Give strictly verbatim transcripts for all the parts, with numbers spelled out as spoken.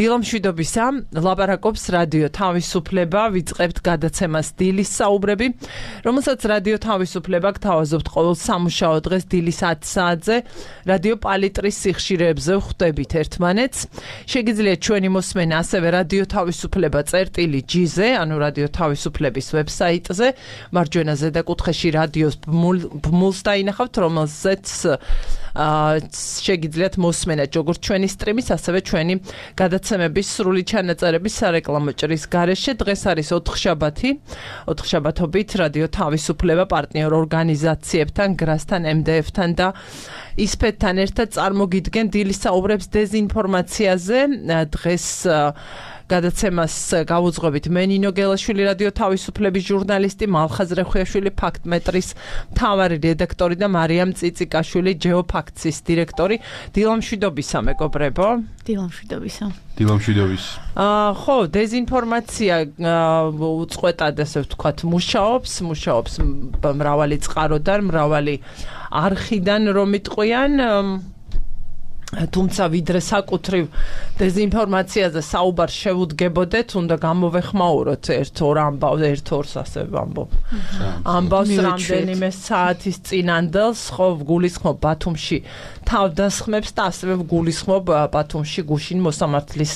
დილამშვიდობისა, ლაპარაკობს რადიო თავისუფლება, ვიწყებთ გადაცემას დილის საუბრები, რომელსაც რადიო თავისუფლება გთავაზობთ ყოველ სამუშაო დღეს დილის ათი საათზე, რადიო პალიტრის სიხშირეებზე ვხვდებით ერთმანეთს. შეგიძლიათ ჩვენი მოსმენა ასევე რადიო თავისუფლება წერტილი ჯი-ზე, ანუ რადიო თავისუფლების ვებსაიტზე, მარჯვენა ზედაკუთხეში რადიოს ბმულს დაინახავთ, რომელზეც შეგიძლიათ მოსმენა როგორც ჩვენი სტრიმის, ასევე ჩვენი გადაცემების სრული ჩანაწერების სარეკლამო ჭრის გარეშე. დღეს არის ოთხშაბათი, ოთხშაბათობით რადიო თავისუფლება პარტნიორ ორგანიზაციებთან, გრასთან, ემ დე ეფ-თან და ისფეთთან ერთად წარმოგიდგენ დილის საუბრებს დეზინფორმაციაზე. დღეს გადაცემას გავუძღვებით მე ნინო გელაშვილი, რადიო თავისუფლების ჟურნალისტი, მალხაზ რეხვიაშვილი, ფაქტმეტრის მთავარი რედაქტორი და მარიამ წიწიკაშვილი, ჯეოფაქტსის დირექტორი. დილამშვიდობისა, მეგობრებო. დილამშვიდობისა. დილამშვიდობის. აა ხო, დეზინფორმაცია უწყვეტად, ასე ვთქვათ, მუშაობს, მუშაობს მრავალი წყაროდან, მრავალი არხიდან, რომ იტყვიან. თუმცა ვიდრე საკუთრივ დეზინფორმაციაზე საუბარს შევუდგებოდეთ, უნდა გამოვეხმაუროთ ერთ ორ ამბავს, ერთ ორს ასე ვამბობ. ამბავს რამდენიმე საათის წინანდელს, ხო, ვგულისხმობ ბათუმში თავდასხმებს და ასევე ვგულისხმობ ბათუმში გუშინ მოსამართლის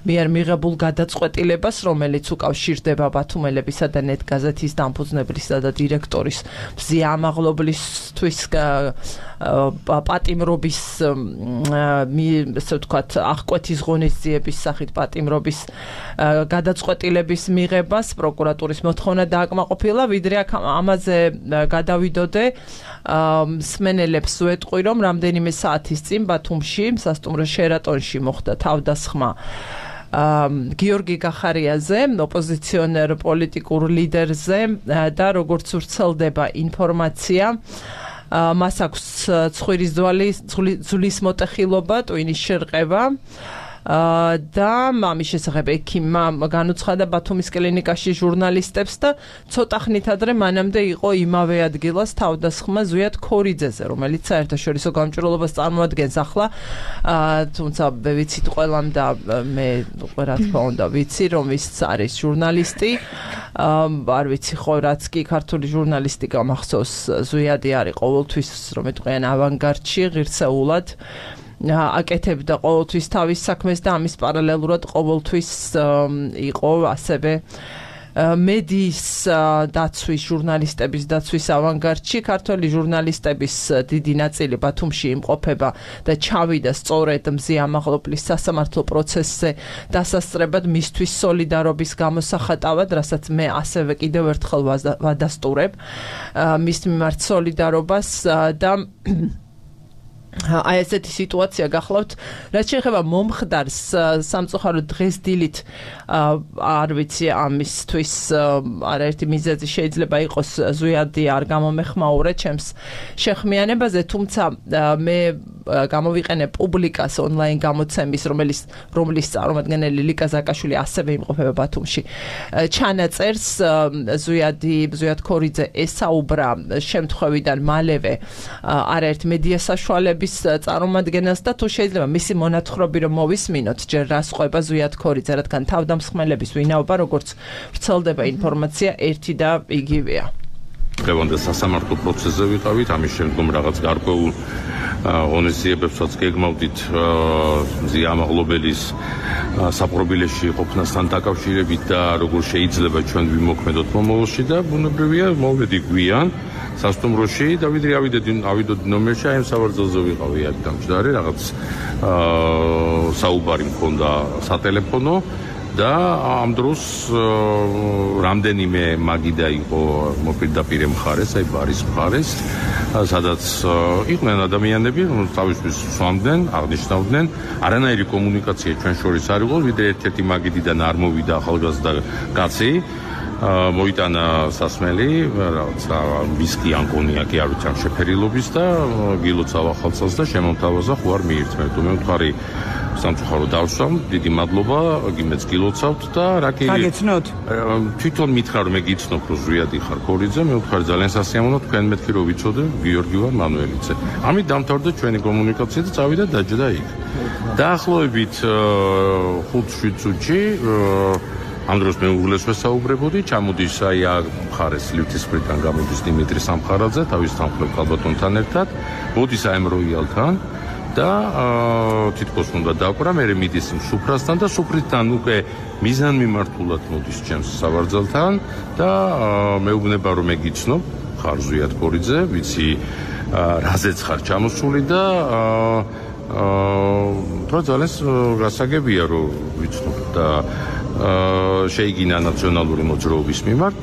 მიერ მიღებულ გადაწყვეტილებას, რომელიც უკავშირდება ბათუმელებისა და ნეტგაზეთის დამფუძნებლისა და დირექტორის მზიამაღლობლისთვის პატიმრობის ასე ვთქვათ, აღკვეთის ღონისძიების სახით პატიმრობის გადაწყვეტილების მიღებას პროკურატურის მოთხოვნა დააკმაყოფილა. ვიდრე აქ ამაზე გადავიდოდე, მსმენელებს ვეტყვი, რომ რამდენიმე საათის წინ ბათუმში, სასტუმრო შერატონში მოხდა თავდასხმა გიორგი გახარიაზე, ოპოზიციონერ პოლიტიკურ ლიდერზე და როგორც ვრცელდება ინფორმაცია, მას აქვს ცხვირის ძვლის მოტეხილობა, ტვინის შერყება და ამის შესახებ ექიმმა განუცხადა ბათუმის კლინიკაში ჟურნალისტებს და ცოტა ხნით ადრე მანამდე იყო იმავე ადგილას თავდასხმა ზვიად ქორიძეზე, რომელიც საერთაშორისო გამჭვირვალობას წარმოადგენს ახლა, თუმცა ვიცით ყველამ და მე რა თქმა უნდა ვიცი, რომ ის არის ჟურნალისტი, არ ვიცი ხო, რაც კი ქართული ჟურნალისტიკა მახსოვს, ზვიადი არის ყოველთვის, რომ ეტყვიან ავანგარდში, ღირსეულად აკეთებდა ყოველთვის თავის საქმეს და ამის პარალელურად ყოველთვის იყო ასევე მედიის დაცვის, ჟურნალისტების დაცვის ავანგარდში. ქართველი ჟურნალისტების დიდი ნაწილი ბათუმში იმყოფება და ჩავიდა სწორედ მზიამაღლობლის სასამართლო პროცესზე დასასწრებად მისთვის სოლიდარობის გამოსახატავად, რასაც მე ასევე კიდევ ერთხელ ვადასტურებ მის მიმართ სოლიდარობას და აი ესეთი სიტუაცია გახლავთ. რაც შეეხება მომხდარს, სამწუხაროდ დღეს დილით არ ვიცი ამისთვის არაერთი მიზეზი შეიძლება იყოს, ზვიადი არ გამომეხმაურე ჩემს შეხმიანებაზე, თუმცა მე გამოვიყენე პუბლიკას ონლაინ გამოცემის, რომელიც რომლის წარმომადგენელი ლიკა ზაკაშვილი ასევე იმყოფება ბათუმში. ჩანაწერს ზვიადი ზვიად ქორიძე ესაუბრა შემთხვევიდან მალევე არაერთ მედია საშუალების წარმომადგენელს და თუ შეიძლება მისი მონათხრობი რომ მოვისმინოთ, ჯერ რას ყვება ზვიად ქორიძე, რადგან თავდამსხმელების ვინაობა, როგორც ვრცელდება ინფორმაცია, ერთი და იგივეა. დღევანდელ სასამართლო პროცესზე ვიყავით, ამის შემდგომ რაღაც გარკვეულ ღონისძიებებსაც გეგმავდით მზიამაღლობელის საპყრობილეში ყოფნასთან დაკავშირებით და როგორ შეიძლება ჩვენ ვიმოქმედოთ მომავალში და ბუნებრივია მოვედი გვიან სასტუმროში და ვიდრე ავიდოდი ნომერში, აი ამ სავარძელზე ვიყავი აქ დამჯდარი, რაღაც საუბარი მქონდა სატელეფონო და ამ დროს რამდენიმე მაგიდა იყო მოპირდაპირე მხარეს, აი ბარის მხარეს, სადაც იყვნენ ადამიანები, რომელთაც თავისთვის სვამდნენ, აღნიშნავდნენ, არანაირი კომუნიკაცია ჩვენ შორის არ იყო, ვიდრე ერთ-ერთი მაგიდიდან არ მოვიდა ახალგაზრდა კაცი, მოიტანა სასმელი, რაღაცა ვისკი ან კონიაკი, არ ვიცი, ამ შეფერილობის და გილოცავ ახალცას და შემომთავაზა, ხო არ მიირთმევ. მე ვთქვი სამწუხაროდ დავსვამ, დიდი მადლობა, გიმეც გილოცავთ და რა კი გაგეცნოთ? თვითონ მითხრა რომ მე გიცნობ რომ ზვიადი ხარ ქორიძე, მე ვთქვი ძალიან სასიამოვნო, თქვენ მეთქი რომ ვიცოდე, გიორგი ვარ მანუელიძე. ამით დამთავრდა ჩვენი კომუნიკაცია და წავიდა დაჯდა იქ. დაახლოებით ხუთ შვიდ წუთში ამ დროს მე უღლეს ვესაუბრებოდი, ჩამოდის აი მხარეს ლიფტის მხრიდან გამოდის დიმიტრი სამხარაძე, თავის თანხმლებ ქალბატონთან ერთად, მოდის აი ამ როიალთან და თითქოს უნდა დაკვრა, მე მიდის სუფრასთან და სუფრისთან უკვე მიზანმიმართულად მოდის ჩემს სავარძელთან და მეუბნება რომ მე გიცნობ, ხარ ზვიად ქორიძე, ვიცი რაზეც ხარ ჩამოსული და აა ძალიან გასაგებია რომ ვიცნობ და შეიგინა ნაციონალური მოძრაობის მიმართ,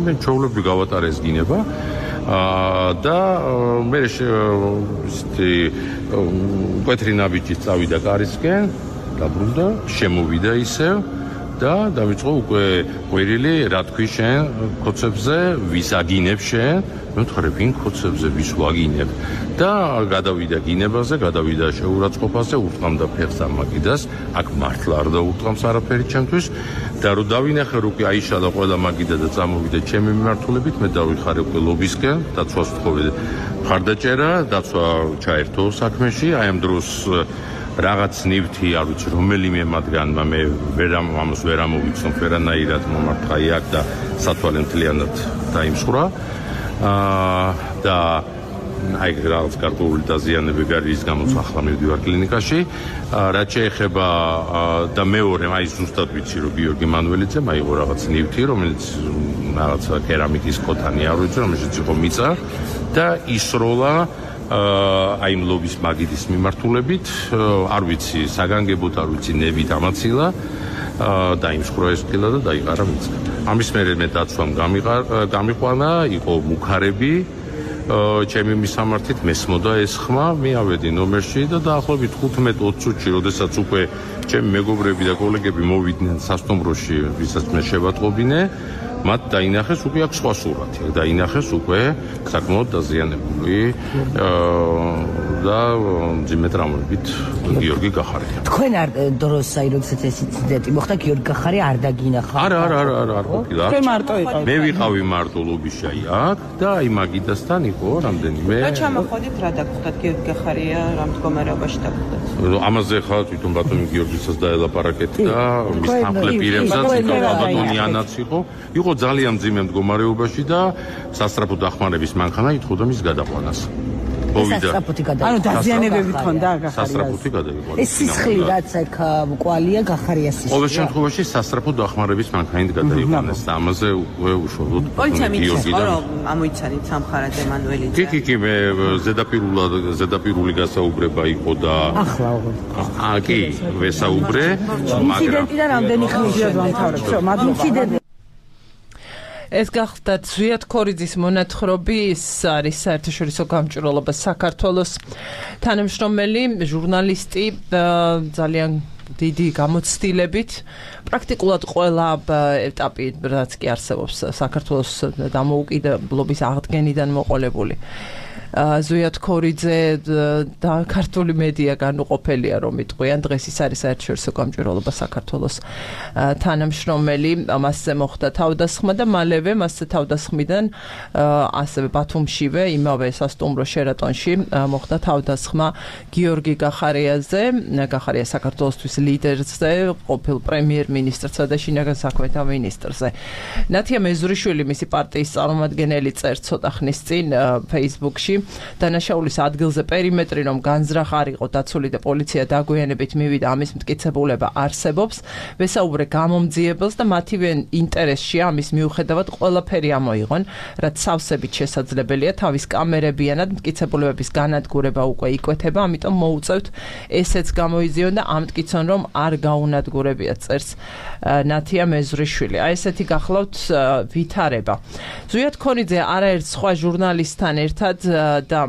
მე ჩვეულებრივ გავატარე ეს გინება და მე ისეთი მკვეთრი ნაბიჯით წავიდა კარისკენ, დაბრუნდა, შემოვიდა ისევ და დავიწყო უკვე ყვირილი, რა თქვი შენ ქოცებზე, ვის აგინებ შენ? მე ვთქვი, ვინ ქოცებზე ვის ვაგინებ? და გადავიდა გინებაზე, გადავიდა შეურაცხყოფაზე, ურტყამდა ფეხს ამ მაგიდას, აქ მართლა არ დაურტყამს არაფერი ჩემთვის და რომ დავინახე რომ აიშალა ყველა მაგიდა და წამოვიდა ჩემი მიმართულებით, მე დავიხარე უკვე ლობისკენ, დაცვას ვთხოვე მხარდაჭერა, დაცვა ჩაერთო საქმეში, აი ამ დროს რაღაც ნივთი, არ ვიცი, რომელიმე მათგანმა მე ვერ ამას ვერ ამოვიცნობ ვერანაირად მომართა იქ და სათვალე მთლიანად დაიმსხვრა. აა და აი რაღაც კარტული დაზიანები გარის გამოც ახლა მივდივარ კლინიკაში. რაც შეეხება და მეორე, აი ზუსტად ვიცი რომ გიორგი მანუელიძე მაიღო რაღაც ნივთი, რომელიც რაღაც კერამიკის ქოთანი არ ვიცი, რომელშიც იყო მიწა და ისროლა აი მლობის მაგიდის მიმართულებით, არ ვიცი, საგანგებოდ არ ვიცი, ნებით ამაცილა დაიმსხვრა ეს ფილა და დაიყარა მიწა. ამის მერე მე დაცვამ გამიყვანა, იყო მუქარები, ჩემი მისამართით მესმოდა ეს ხმა, მე ავედი ნომერში და დაახლოებით ხუთმეტ ოცი წუთში, როდესაც უკვე ჩემი მეგობრები და კოლეგები მოვიდნენ სასტუმროში, ვისაც მე შევატყობინე, მათ დაინახეს უკვე აქ სხვა სურათი, დაინახეს უკვე საკმაოდ დაზიანებული და მძიმე ტრამვებით გიორგი გახარია. თქვენ არ დროს აი როდესაც ეს ინციდენტი მოხდა, გიორგი გახარია არ დაგინახა? არა, არა, არა, არა, არ ყოფილა. თქვენ მარტო იყავით? მე ვიყავი მარტო ლობიში აქ და აი მაგიდასთან იყო რამდენიმე. და ჩამოხვედით რა დაგხვდათ, გიორგი გახარია რა მდგომარეობაში დაგხვდათ? ამაზე ხა თვითონ ბატონი გიორგისაც დაელაპარაკეთ და მის თანხლებ პირებსაც იყო ბატონი ანაც იყო. იყო ძალიან მძიმე მდგომარეობაში და სასწრაფო დახმარების მანქანა ითხოვდა მის გადაყვანას. მოვიდა. ანუ დაზიანებები თქონდა გახარიას. სასწრაფოთი გადაიყვანა. ეს სისხლი რაც აქ მკვალია გახარიას სისხლი. ყოველ შემთხვევაში სასწრაფო დახმარების მანქანით გადაიყვანეს და ამაზე უკვე უშუალოდ პოლიცია მითხრობს რომ ამოიცანით სამხარაძე მანუელიძე. კი, კი, კი, მე ზედაპირულად ზედაპირული გასაუბრება იყო და ახლა უღარ. აა კი, ვესაუბრე, მაგრამ ინციდენტიდან რამდენი ხნია დავამთავრებ? всё, მაგრამ ინციდენტი ეს გახდათ ზვიად ქორიძის მონათხრობი, ის არის საერთაშორისო გამჭვირვალობა საქართველოს თანამშრომელი, ჟურნალისტი, ძალიან დიდი გამოცდილებით, პრაქტიკულად ყველა ეტაპი, რაც კი არსებობს საქართველოს დამოუკიდებლობის აღდგენიდან მოყოლებული. ზვიად ქორიძე და ქართული მედია განუყოფელია რომ იტყვიან, დღეს ის არის საერთაშორისო გამჭვირვალობა საქართველოს თანამშრომელი, მასზე მოხდა თავდასხმა და მალევე მასზე თავდასხმიდან ასევე ბათუმშივე, იმავე სასტუმრო შერატონში მოხდა თავდასხმა გიორგი გახარიაზე, გახარია საქართველოსთვის ლიდერზე, ყოფილ პრემიერ-მინისტრსა და შინაგან საქმეთა მინისტრზე. ნათია მეზურიშვილი, მისი პარტიის წარმომადგენელი, წერს ცოტა ხნის წინ Facebook-ში დანაშაულის ადგილზე პერიმეტრი რომ განზრახ არ იყო დაცული და პოლიცია დაგვიანებით მივიდა, ამის მტკიცებულება არსებობს, ვესაუბრე გამომძიებელს და მათივე ინტერესში ამის მიუხედავად ყველაფერი ამოიღონ, რაც სავსებით შესაძლებელია, თავის კამერებიანად მტკიცებულებების განადგურება უკვე იკვეთება, ამიტომ მოუწევთ ესეც გამოიზიონ და ამტკიცონ რომ არ გაუნადგურებიათ, წერს ნათია მეზურიშვილი. აი ესეთი გახლავთ ვითარება. ზვიად ქორიძე არაერთ სხვა ჟურნალისტთან ერთად და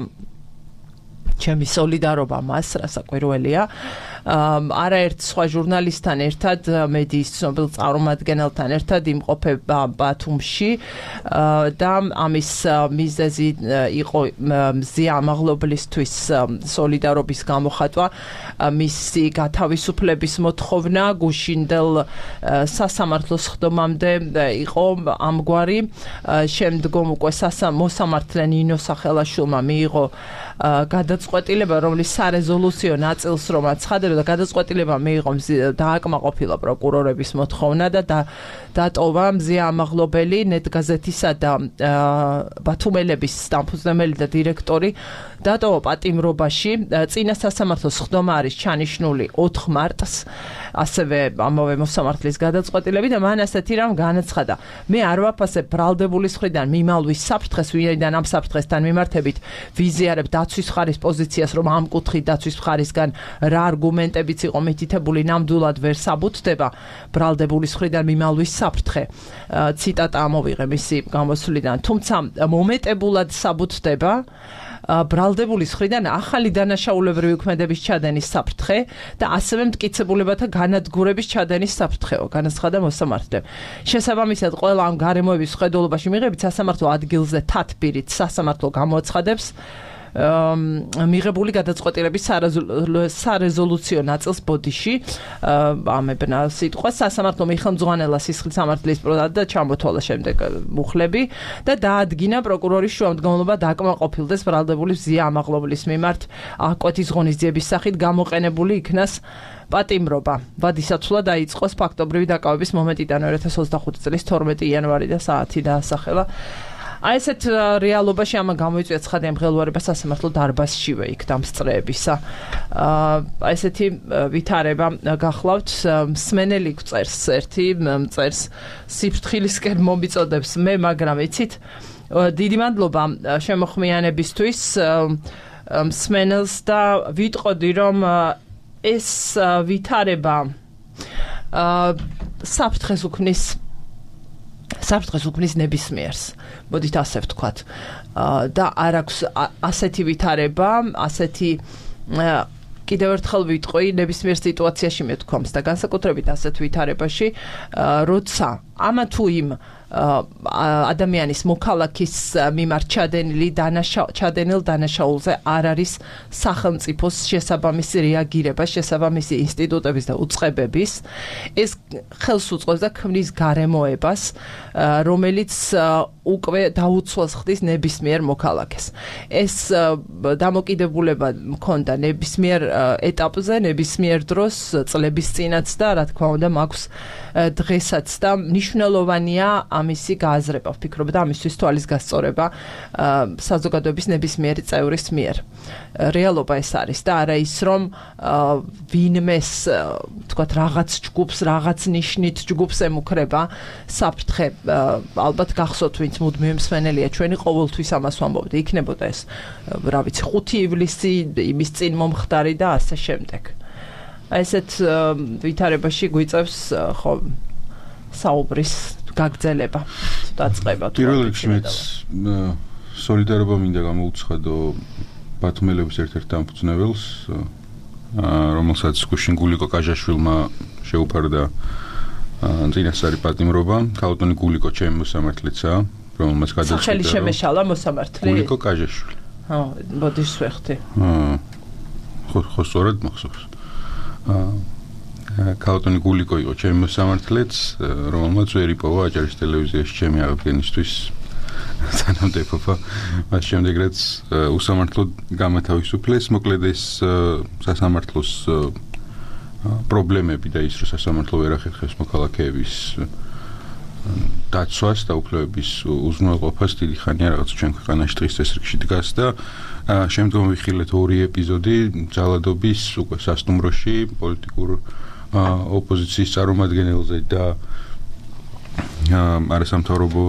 ჩემი სოლიდარობა მას, რასაკვირველია, არაერთ სხვა ჟურნალისტთან ერთად მედიის ცნობილ წარმომადგენელთან ერთად იმყოფება ბათუმში და ამის მიზეზი იყო მზია ამაღლობლისთვის სოლიდარობის გამოხატვა მისი გათავისუფლების მოთხოვნა გუშინდელ სასამართლოს ხდომამდე იყო ამგვარი შემდგომ უკვე მოსამართლე ნინო სახელაშვილმა მიიღო გადაწყვეტილება რომლის სარეზოლუციო ნაწილს რომ აცხადებდა და გადაწყვეტილება მიიღო დააკმაყოფილა პროკურორების მოთხოვნა და დატოვა მზია ამაღლობელი ნეტგაზეთისა და ბათუმელების დამფუძნებელი და დირექტორი დატოვა პატიმრობაში წინა სასამართლოს ხდომა არის ჩანიშნული ოთხ მარტს ასევე ამავე მოსამართლის გადაწყვეტილები და მან ასეთი რამ განაცხადა მე არ ვაფასებ ბრალდებულის მხრიდან მიმალვის საფრთხეს ვინაიდან ამ საფრთხესთან მიმართებით ვიზიარებ დაცვის მხარის პოზიციას რომ ამ კუთხით დაცვის მხარისგან რა არგუმენტებიც იყო მითითებული ნამდვილად ვერ საბუთდება ბრალდებულის მხრიდან მიმალვის საფრთხე ციტატა ამოვიღე მისი გამოსვლიდან თუმცა მომეტებულად საბუთდება ბრალდებულის მხრიდან ახალი დანაშაულებრივი უქმედების ჩადენის საფრთხე და ასევე მტკიცებულებათა განადგურების ჩადენის საფრთხეო განაცხადა მოსამართლემ. შესაბამისად ყველა ამ გარემოების ხედულობაში მიღებით სასამართლო ადგილზე თათბირით სასამართლო გამოაცხადებს მიღებული გადაწყვეტილების სარეზოლუციო ნაწილს ბოდიში ამებნა სიტყვა სასამართლო მიხელმძღვანელა სისხლის სამართლის პროდად და ჩამოთვალა შემდეგ მუხლები და დაადგინა პროკურორის შუამდგომლობა დაკმაყოფილდეს ბრალდებულის მზია ამაღლობლის მიმართ აღკვეთის ღონის ძიების სახით გამოყენებული იქნას პატიმრობა. ვადისაცვლა დაიწყოს ფაქტობრივი დაკავების მომენტიდან ორი ათას ოცდახუთი წლის თორმეტი იანვარი და საათი დაასახელა. აი ესეთ რეალობაში ამა გამოიწვია ცხადია მღელვარება სასამართლო დარბაზშივე იქ დამსწრეებისა. აი ესეთი ვითარება გახლავთ მსმენელი წერს ერთი წერს სიფრთხილისკენ მომიწოდებს მე მაგრამ იცით დიდი მადლობა შემოხმიანებისთვის მსმენელს და ვიტყოდი რომ ეს ვითარება საფრთხეს უქმნის საფრთხეს უქმნის ნებისმიერს. მოდით ასე ვთქვათ. და არ აქვს ასეთი ვითარება, ასეთი კიდევ ერთხელ ვიტყვი, ნებისმიერ სიტუაციაში მეთქვამს და განსაკუთრებით ასეთ ვითარებაში, როცა ამა თუ იმ ადამიანის მოქალაქის მიმართ ჩადენილი ჩადენილ დანაშაულზე არ არის სახელმწიფოს შესაბამისი რეაგირება, შესაბამისი ინსტიტუტების და უწყებების, ეს ხელს უწყობს და ქმნის გარემოებას, რომელიც უკვე დაუცველს ხდის ნებისმიერ მოქალაქეს. ეს დამოკიდებულება მქონდა ნებისმიერ ეტაპზე, ნებისმიერ დროს, წლების წინაც და რა თქმა უნდა მაქვს დღესაც და მნიშვნელოვანია ამისი გააზრება, ვფიქრობ და ამისთვის თვალის გასწორება საზოგადოების ნებისმიერი წევრის მიერ. რეალობა ეს არის და არა ის რომ ვინმეს თქვათ რაღაც ჯგუფს, რაღაც ნიშნით ჯგუფს ემუქრება საფრთხე ალბათ გახსოვთ ვინც მუდმივი მსმენელია ჩვენი ყოველთვის ამას ვამბობდი იქნებოდა ეს რა ვიცი ხუთი ივლისი იმის წინ მომხდარი და ასე შემდეგ. აი ესეთ ვითარებაში გვიწევს ხო საუბრის გაგრძელება დაწყება თუ პირველ რიგში მეც სოლიდარობა მინდა გამოუცხადო ბათუმელების ერთ-ერთ დამფუძნებელს რომელსაც გუშინ გულიკო კაჟაშვილმა შეუფარდა წინასწარი პატიმრობა ქალბატონი გულიკო ჩემი მოსამართლეცაა რომელმაც გადაწყვიტა სახელი შემეშალა მოსამართლე გულიკო კაჟაშვილი ხო ბოდიშ ვეხტი ხო ხო სწორად მახსოვს ქალბატონი გულიკო იყო ჩემი მოსამართლეც რომელმაც ვერ იპოვა აჭარის ტელევიზიაში ჩემი აღდგენისთვის სანამდეფობა მას შემდეგ რაც უსამართლო გამათავისუფლეს მოკლედ ეს სასამართლოს პრობლემები და ის რომ სასამართლო ვერ ახერხებს მოქალაქეების დაცვას და უფლებების უზრუნველყოფას დიდი ხანია რაღაც ჩვენ ქვეყანაში დღის წესრიგში დგას და შემდგომ ვიხილეთ ორი ეპიზოდი ძალადობის უკვე სასტუმროში პოლიტიკურ ოპოზიციის წარმომადგენელზე და არასამთავრობო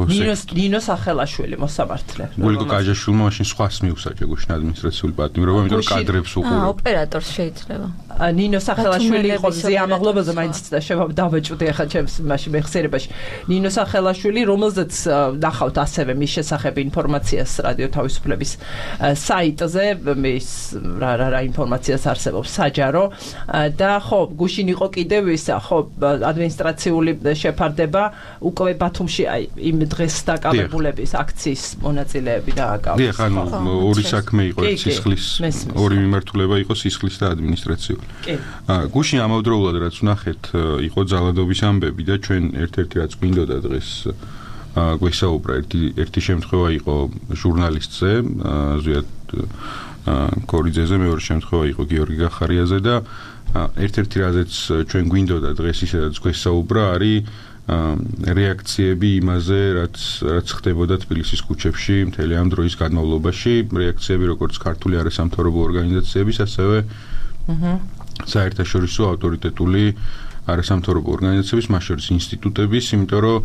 ნინო სახელაშვილი მოსამართლე გულიკო კაჟაშვილმა მაშინ სხვას მიუსაჯა გუშინ ადმინისტრაციული პატიმრობა იმიტომ რომ კადრებს უყურებდა ოპერატორს შეიძლება ნინო სახელაშვილი იყო მზი ამ მაღლობაზე მაინც დავეჭვდი ახლა ჩემს მაშინ მეხსიერებაში ნინო სახელაშვილი რომელზეც ნახავთ ასევე მის შესახებ ინფორმაციას რადიო თავისუფლების საიტზე მის რა რა ინფორმაციას არსებობს საჯარო და ხო გუშინ იყო კიდევ ისა ხო ადმინისტრაციული შეფარდება უკვე ბათუმში აი იმ დღეს დაკავებულების აქციის მონაწილეები დააკავეს. დიახ, ანუ ორი საქმე იყო, სისხლის ორი მიმართულება იყო სისხლის და ადმინისტრაციული. კი. გუშინ ამავდროულად რაც ვნახეთ, იყო ძალადობის ამბები და ჩვენ ერთ-ერთი რაც გვინდოდა დღეს გვესაუბრა ერთი ერთი შემთხვევა იყო ჟურნალისტზე, ზუსტად კორიძეზე, მეორე შემთხვევა იყო გიორგი გახარიაზე და ერთ-ერთი რაზეც ჩვენ გვინდოდა დღეს ისაც გვესაუბრა არის რეაქციები იმაზე, რაც რაც ხდებოდა თბილისის ქუჩებში მთელი ამ დროის განმავლობაში, რეაქციები როგორც ქართული არასამთავრობო ორგანიზაციების, ასევე საერთაშორისო ავტორიტეტული არასამთავრობო ორგანიზაციების, მათ შორის ინსტიტუტების, იმიტომ რომ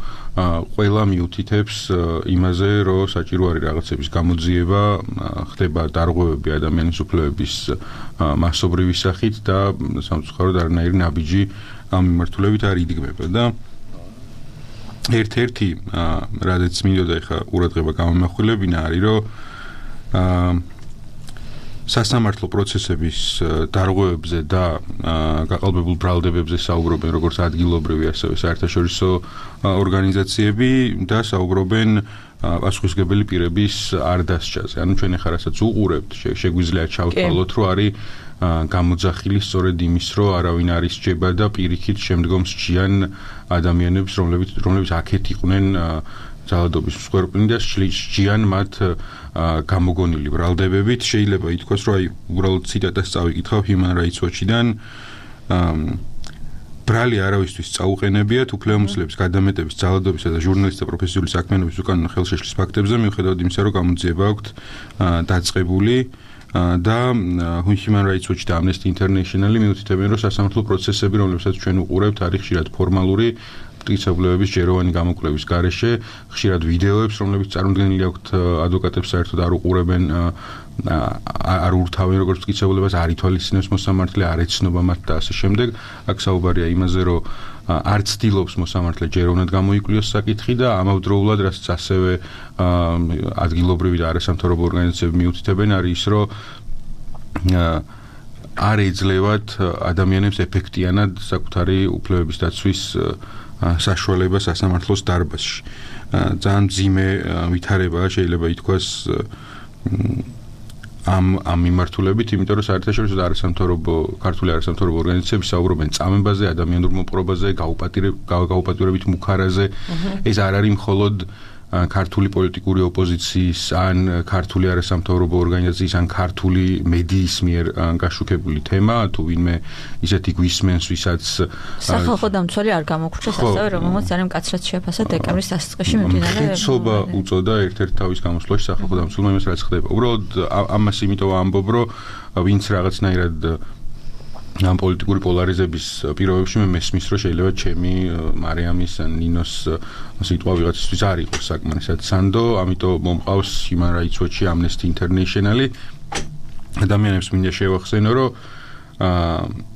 ყველა მიუთითებს იმაზე, რომ საჭირო არის რაღაცების გამოძიება, ხდება დარღვევები ადამიანის უფლებების მასობრივი სახით და სამწუხაროდ არანაირი ნაბიჯი ამ მიმართულებით არ იდგმება და ერთ-ერთი რადგან მინდოდა ეხა ყურადღება გამომახვილებინა არის რომ სასამართლო პროცესების დარღვევებზე და გაყალბებულ ბრალდებებზე საუბრობენ როგორც ადგილობრივი ასევე საერთაშორისო ორგანიზაციები და საუბრობენ პასუხისმგებელი პირების არ დასჯაზე. ანუ ჩვენ ეხლა რასაც უყურებთ, შეგვიძლია ჩავთვალოთ, რომ არის გამოძახილი სწორედ იმის, რომ არავინ არ ისჯება და პირიქით შემდგომ სჯიან ადამიანებს, რომლებიც რომლებიც აქეთ იყვნენ ძალადობის მსხვერპლნი და სჯიან მათ გამოგონილი ბრალდებებით. შეიძლება ითქვას, რომ აი უბრალოდ ციტატას წავიკითხავ Human Rights Watch-დან ბრალი არავისთვის წაუყენებიათ უფლებამოსილების გადამეტების, ძალადობისა და ჟურნალისტთა პროფესიული საქმიანობის უკანონო ხელშეშლის ფაქტებზე, მიუხედავად იმისა, რომ გამოძიება აქვთ დაწყებული და Human Rights Watch და Amnesty International მიუთითებენ, რომ სასამართლო პროცესები, რომლებსაც ჩვენ უყურებთ, არის ხშირად ფორმალური მტკიცებულებების ჯეროვანი გამოკვლევის გარეშე, ხშირად ვიდეოებს, რომლებიც წარმოდგენილი აქვთ ადვოკატებს საერთოდ არ უყურებენ, არ ურთავენ როგორც მტკიცებულებას, არ ითვალისწინებს მოსამართლე, არ ეცნობა მათ და ასე შემდეგ. აქ საუბარია იმაზე, რომ არ ცდილობს მოსამართლე ჯეროვნად გამოიკვლიოს საკითხი და ამავდროულად, რასაც ასევე ადგილობრივი და არასამთავრობო ორგანიზაციები მიუთითებენ, არის ის, რომ არ ეძლევათ ადამიანებს ეფექტიანად საკუთარი უფლებების დაცვის საშუალება სასამართლოს დარბაზში. ძალიან მძიმე ვითარებაა შეიძლება ითქვას ამ ამ მიმართულებით, იმიტომ რომ საერთაშორისო და არასამთავრობო ქართული არასამთავრობო ორგანიზაციები საუბრობენ წამებაზე, ადამიანურ მოპყრობაზე, გაუპატიურებით მუქარაზე. ეს არ არის მხოლოდ ქართული პოლიტიკური ოპოზიციის ან ქართული არასამთავრობო ორგანიზაციის ან ქართული მედიის მიერ გაშუქებული თემა, თუ ვინმე ისეთი გვისმენს, ვისაც სახალხო დამცველი არ გამოგრჩეს, ასევე რომელმაც ძალიან მკაცრად შეაფასა დეკემბრის დასაწყისში მიმდინარე მკაცრობა უწოდა ერთ-ერთ თავის გამოსვლაში სახალხო დამცველმა იმას, რაც ხდება. უბრალოდ ამას იმიტომ ამბობ, რომ ვინც რაღაცნაირად ამ პოლიტიკური პოლარიზების პირობებში მე მესმის, რომ შეიძლება ჩემი მარიამის ან ნინოს სიტყვა ვიღაცისთვის არ იყოს საკმარისად სანდო, ამიტომ მომყავს Human Rights Watch-ი, Amnesty International-ი. ადამიანებს მინდა შევახსენო, რომ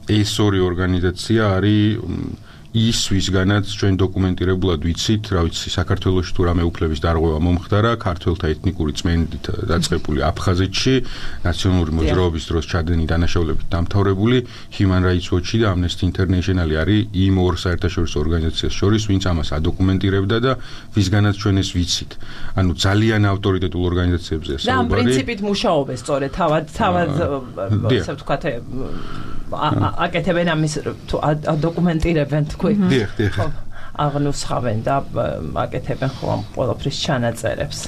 ეს ორი ორგანიზაცია არის ის ვისგანაც ჩვენ დოკუმენტირებულად ვიცით, რა ვიცი, საქართველოში თუ რამე უფლების დარღვევა მომხდარა, ქართველთა ეთნიკური წმენდით დაწყებული აფხაზეთში, ნაციონალური მოძრაობის დროს ჩადენი დანაშაულებით დამთავრებული, Human Rights Watch-ი და Amnesty International არის იმ ორ საერთაშორისო ორგანიზაციას შორის, ვინც ამას ადოკუმენტირებდა და ვისგანაც ჩვენ ეს ვიცით. ანუ ძალიან ავტორიტეტულ ორგანიზაციებზეა საუბარი. და ამ პრინციპით მუშაობენ სწორედ თავად თავად ასე ვთქვათ აკეთებენ ამის თუ ადოკუმენტირებენ დიახ, დიახ. აღნუსხავენ და აკეთებენ ხო ამ ყველაფრის ჩანაწერებს.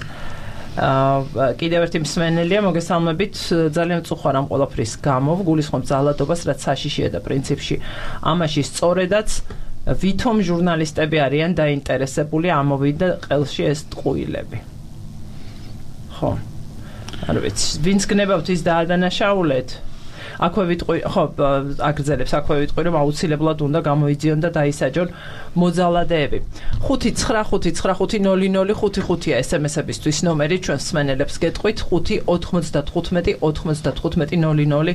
აა კიდევ ერთი მსმენელია, მოგესალმებით, ძალიან წუხარ ამ ყველაფრის გამო, გულისხმობ ძალადობას, რაც საშიშია და პრინციპში ამაში სწორედაც ვითომ ჟურნალისტები არიან დაინტერესებული ამოვიდა ყელში ეს ტყუილები. ხო. არ ვიცი, ვინც გნებავთ ის დაადანაშაულეთ. აქვე ვიტყვი, ხო, აგრძელებს აქვე ვიტყვი, რომ აუცილებლად უნდა გამოიძიონ და დაისაჯონ მოძალადეები. ხუთი ცხრა ხუთი ცხრა ხუთი ნული ნული ხუთი ხუთია ეს em es-ებისთვის ნომერი, ჩვენს მსმენელებს გეტყვით ხუთი ოთხმოცდათხუთმეტი ოთხმოცდათხუთმეტი ნული ნული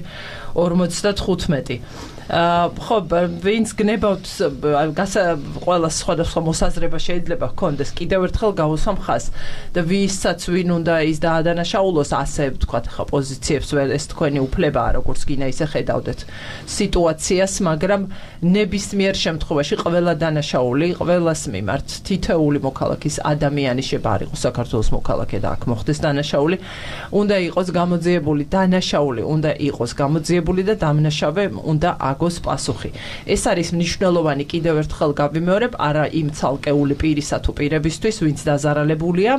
ორმოცდათხუთმეტი. აა ხო, ვინც გნებავთ ყველა სხვადასხვა მოსაზრება შეიძლება ჰქონდეს, კიდევ ერთხელ გავუსვამ ხაზს და ვისაც ვინ უნდა ის დაადანაშაულოს, ასე ვთქვათ, ხა პოზიციებს ვერ ეს თქვენი უფლებაა, როგორც გინდა ისე ხედავდეთ სიტუაციას, მაგრამ ნებისმიერ შემთხვევაში ყველა დანაშაული, ყველას მიმართ თითოეული მოქალაქის ადამიანი შეიძლება არ იყოს საქართველოს მოქალაქე და აქ მოხდეს დანაშაული, უნდა იყოს გამოძიებული დანაშაული, უნდა იყოს გამოძიებული და დამნაშავე უნდა აგოს პასუხი. ეს არის მნიშვნელოვანი, კიდევ ერთხელ გავიმეორებ, არა იმ ცალკეული პირისა თუ პირებისთვის, ვინც დაზარალებულია,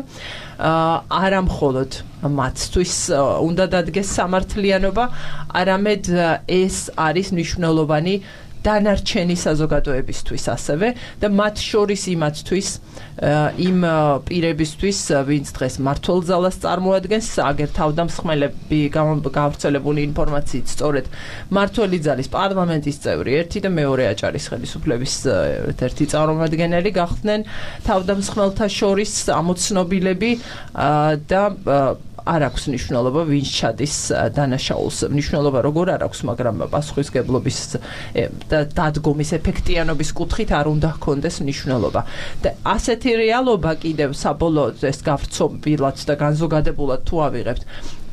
არა მხოლოდ მათთვის უნდა დადგეს სამართლიანობა, არამედ ეს არის მნიშვნელოვანი დანარჩენი საზოგადოებისთვის ასევე და მათ შორის იმათთვის, იმ პირებისთვის, ვინც დღეს მმართველ ძალას წარმოადგენს, აგერ თავდამსხმელები გავრცელებული ინფორმაციით სწორედ მმართველი ძალის პარლამენტის წევრი ერთი და მეორე აჭარის ხელისუფლების ერთი წარმომადგენელი გახდნენ თავდამსხმელთა შორის ამოცნობილები და არ აქვს მნიშვნელობა ვინც ჩადის დანაშაულს. მნიშვნელობა როგორ არ აქვს, მაგრამ პასუხისგებლობის და დადგომის ეფექტიანობის კუთხით არ უნდა ჰქონდეს მნიშვნელობა. და ასეთი რეალობა კიდევ საბოლოოდ ეს გავრცობილად და განზოგადებულად თუ ავიღებთ,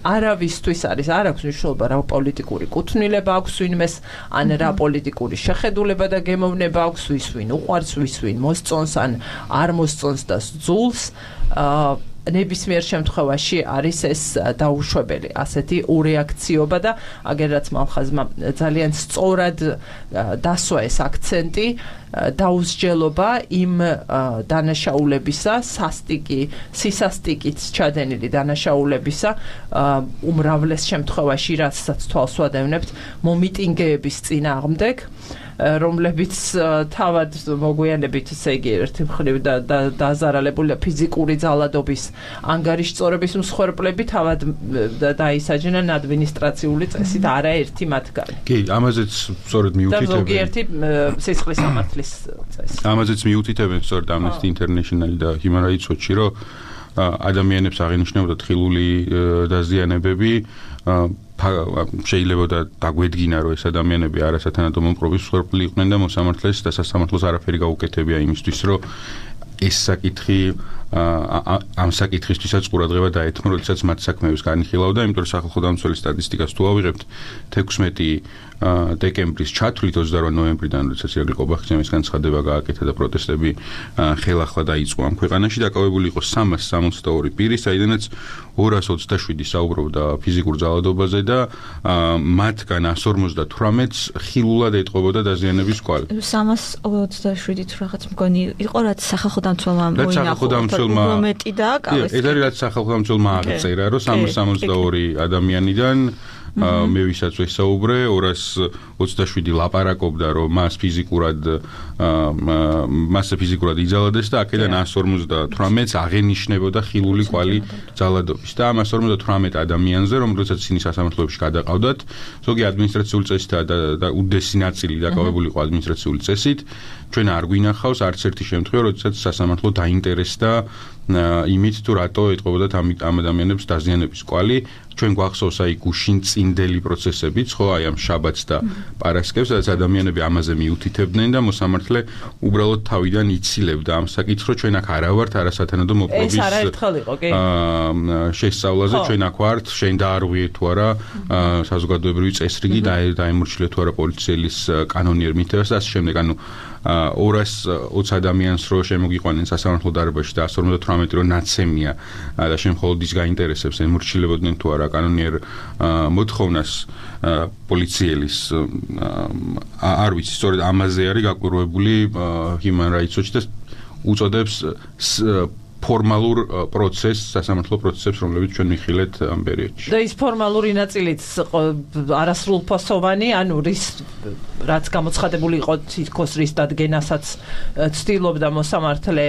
არავისთვის არის, არ აქვს მნიშვნელობა რა პოლიტიკური კუთვნილება აქვს ვინმეს, ან რა პოლიტიკური შეხედულება და გემოვნება აქვს, ვის ვინ უყვარს, ვის ვინ მოსწონს, ან არ მოსწონს და სძულს. აა ნებისმიერ შემთხვევაში არის ეს დაუშვებელი, ასეთი ურეაქციობა და აგერაც მამხაზმა ძალიან სწორად დასვა ეს აქცენტი, დაუსჯელობა იმ დანაშაულებისა, სასტიკი, სისასტიკით ჩადენილი დანაშაულებისა, უმრავლეს შემთხვევაში, რასაც თვალს ვადევნებთ, მომიტინგეების წინააღმდეგ, რომლებიც თავად მოგვიანებით, ესე იგი, ერთი მხრივ დაზარალებული ფიზიკური ძალადობის ანგარიშწორების მსხვერპლები თავად დაისაჯნენ ადმინისტრაციული წესით, არაერთი მათგანი. კი, ამაზეც სწორედ მიუთითებენ. და ზოგიერთი სისხლის სამართლის წესი. ამაზეც მიუთითებენ სწორედ Amnesty International და Human Rights Watch-ი, რომ ადამიანებს აღინიშნებოდა ხილული დაზიანებები, შეიძლება დაგვედგინა, რომ ეს ადამიანები არასათანადო მომპყრობის მსხვერპლი იყვნენ და მოსამართლეს და სასამართლოს არაფერი გაუკეთებია იმისთვის, რომ ეს საკითხი ამ საკითხისთვისაც ყურადღება დაეთმო, როდესაც მათ საქმეებს განიხილავდა, იმიტომ რომ სახალხო დამცველის სტატისტიკას თუ ავიღებთ, თექვსმეტი დეკემბრის ჩათვლით ოცდაორი ნოემბრიდან, როდესაც ირაკლი ყობახიძემის განცხადება გააკეთა და პროტესტები ხელახლა დაიწყო ამ ქვეყანაში, დაკავებული იყო სამას სამოცდაორი პირი, საიდანაც ორას ოცდაშვიდი საუბრობდა ფიზიკურ ძალადობაზე და მათგან ასი ორმოცდათვრამეტს ხილულად ეტყობოდა დაზიანების კვალი. სამას ოცდაშვიდი თუ რაღაც მგონი იყო, რაც სახალხო დამცველმა მოინახულო. უმეტი და ეს არის რაც სახალხო დამცველმა აღწერა, რომ სამას სამოცდაორი ადამიანიდან მე ვისაც ვესაუბრე, ორას ოცდაშვიდი ლაპარაკობდა, რომ მას ფიზიკურად მასზე ფიზიკურად იძალადეს და აქედან ასი ორმოცდათვრამეტს აღენიშნებოდა ხილული კვალი ძალადობის. და ამ ასი ორმოცდათვრამეტ ადამიანზე, რომ როდესაც ისინი სასამართლოებში გადაყავდათ, ზოგი ადმინისტრაციული წესით და უდესი ნაწილი დაკავებული იყო ადმინისტრაციული წესით, ჩვენ არ გვინახავს არც ერთი შემთხვევა, როდესაც სასამართლო დაინტერესდა იმით თუ რატო ეტყობოდათ ამ ადამიანებს დაზიანების კვალი. ჩვენ გვახსოვს აი გუშინ წინდელი პროცესებიც, ხო, აი ამ შაბათს და პარასკევს, სადაც ადამიანები ამაზე მიუთითებდნენ და მოსამართლე უბრალოდ თავიდან იცილებდა ამ საკითხს, რომ ჩვენ აქ არა ვართ არასათანადო მოპყრობის ეს არაერთხელ იყო, კი? შესწავლაზე, ჩვენ აქ ვართ, შენ დაარღვიე თუ არა საზოგადოებრივი წესრიგი და დაემორჩილე თუ არა პოლიციელის კანონიერ მითებას და ასე შემდეგ, ანუ ორას ოცი ადამიანს რო შემოგიყვანენ სასამართლო დარბაზში და ასი ორმოცდათვრამეტი რო ნაცემია და შენ მხოლოდ ის გაინტერესებს ემორჩილებოდნენ თუ არა კანონიერ მოთხოვნას პოლიციელის არ ვიცი, სწორედ ამაზე არის გაკვირვებული Human Rights Watch და უწოდებს ფორმალურ პროცესს, სასამართლო პროცესებს, რომლებიც ჩვენ მიხილეთ ამ პერიოდში. და ის ფორმალური ნაწილიც არასრულფასოვანი, ანუ რის რაც გამოცხადებული იყო თითქოს რის დადგენასაც ცდილობდა მოსამართლე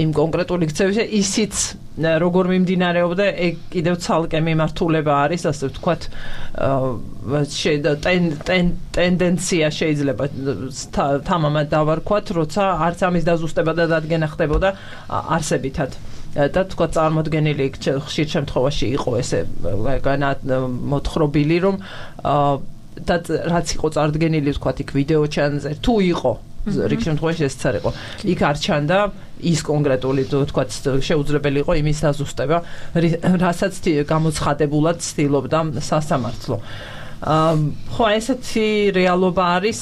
იმ კონკრეტული ქცევის, ისიც როგორ მიმდინარეობდა, ეგ კიდევ ცალკე მიმართულება არის, ასე ვთქვათ, ტენდენცია შეიძლება თამამად დავარქვათ, როცა არც ამის დაზუსტება და დადგენა ხდებოდა არსებითად. და თქვა წარმოდგენილი ხშირ შემთხვევაში იყო ესე მოთხრობილი, რომ და რაც იყო წარდგენილი თქვა იქ ვიდეო ჩანზე თუ იყო რიგ შემთხვევაში ესეც არ იყო. იქ არ ჩანდა ის კონკრეტული თქვა შეუძლებელი იყო იმის დაზუსტება, რასაც გამოცხადებულად ცდილობდა სასამართლო. ხო, ესეთი რეალობა არის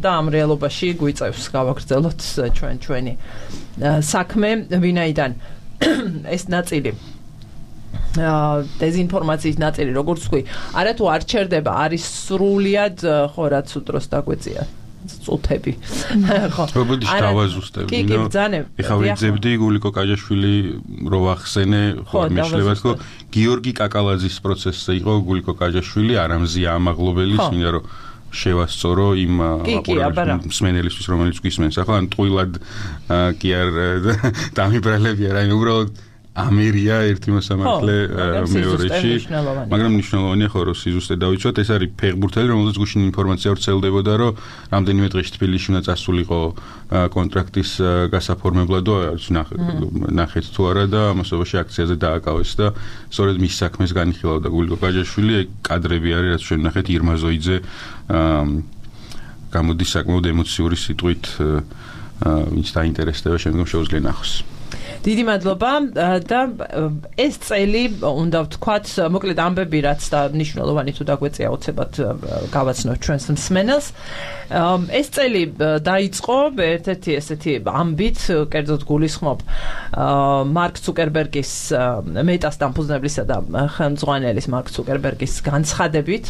და ამ რეალობაში გვიწევს გავაგრძელოთ ჩვენ ჩვენი საქმე, ვინაიდან ეს ნაწილი დეზინფორმაციის ნაწილი, როგორც ვთქვი, არა თუ არ ჩერდება, არის სრულიად ხო რაც უდროს დაგვეწია წუთები. ხო. რობოდი დავაზუსტებ. კი, კი, ბძანე. ეხლა ვიძებდი გულიკო კაჯაშვილი რო ვახსენე, ხო, მეშლებათ, ხო, გიორგი კაკალაძის პროცესზე იყო გულიკო კაჯაშვილი, არამზია ამაღლობელი, მინდა რომ შევასწორო იმ მსმენელისთვის, რომელიც გვისმენს. ახლა ტყუილად კი არ დამიბრალები არა, აი უბრალოდ ამერია ერთი მოსამართლე მეორეში, მაგრამ მნიშვნელოვანია ხო რომ სიზუსტე დავიცვათ, ეს არის ფეხბურთელი, რომელზეც გუშინ ინფორმაცია ვრცელდებოდა, რომ რამდენიმე დღეში თბილისში უნდა წასულიყო კონტრაქტის გასაფორმებლად, ნახეთ თუ არა და ამასობაში აქციაზე დააკავეს და სწორედ მის საქმეს განიხილავდა გულიკო კაჯაშვილი, კადრები არის, რაც ჩვენ ნახეთ ირმა ზოიძე გამოდის საკმაოდ ემოციური სიტყვით, ვინც დაინტერესდება, შემდგომ შეუძლია ნახოს. დიდი მადლობა და ეს წელი უნდა ვთქვათ, მოკლედ ამბები რაც და მნიშვნელოვანი თუ დაგვეწია უცებად გავაცნოთ ჩვენს მსმენელს. ეს წელი დაიწყო ერთ-ერთი ესეთი ამბით, კერძოდ გულისხმობ მარკ ცუკერბერგის მეტას დამფუძნებლისა და ხელმძღვანელის მარკ ცუკერბერგის განცხადებით,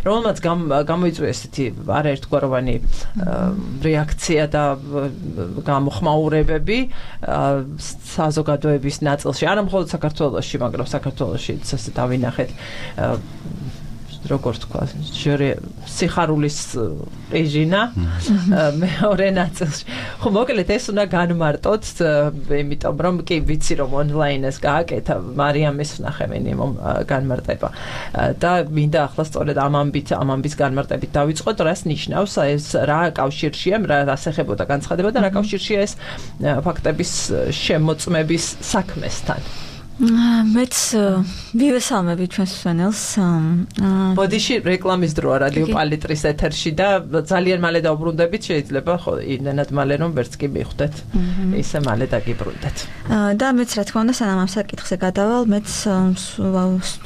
რომელმაც გამოიწვია ესეთი არაერთგვაროვანი რეაქცია და გამოხმაურებები საზოგადოების ნაწილში, არა მხოლოდ საქართველოში, მაგრამ საქართველოში ესე დავინახეთ როგორ თქვა, სიხარულის რეჟინა მეორე ნაწილში. ხო, მოკლედ ეს უნდა განმარტოთ, იმიტომ რომ კი ვიცი რომ ონლაინეს გააკეთა მარიამის ვნახევენი განმარტება. და მინდა ახლა სწორედ ამ ამბით, ამ ამბის განმარტებით დავიწყოთ, რას ნიშნავს ეს, რა კავშირშია, რას ეხებოდა განცხადება და რა კავშირშია ეს ფაქტების შემოწმების საქმესთან. მეც ვივესალმები ჩვენს მსმენელს. ბოდიში რეკლამის დროა რადიო პალიტრის ეთერში და ძალიან მალე დავბრუნდებით, შეიძლება ხო იმენად მალე რომ ვერც კი მიხვდეთ. ისე მალე დაგიბრუნდეთ. და მეც რა თქმა უნდა სანამ ამ საკითხზე გადავალ, მეც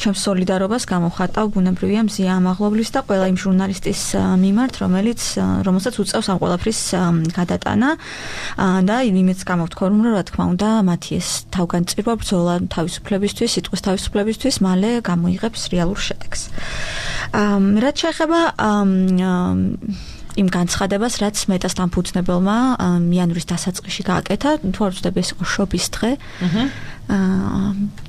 ჩემს სოლიდარობას გამოვხატავ ბუნებრივია მზია ამაღლობლის და ყველა იმ ჟურნალისტის მიმართ, რომელიც რომელსაც უწევს ამ ყველაფრის გადატანა და იმეც გამოვთქვამ, რომ რა თქმა უნდა მათი ეს თავგანწირვა ბრძოლა თავისუფლებისთვის, სიტყვის თავისუფლებისთვის მალე გამოიღებს რეალურ შედეგს. რაც შეეხება იმ განცხადებას, რაც მეტას დამფუძნებელმა იანვრის დასაწყისში გააკეთა, თუ არ ვცდები ეს იყო შობის დღე.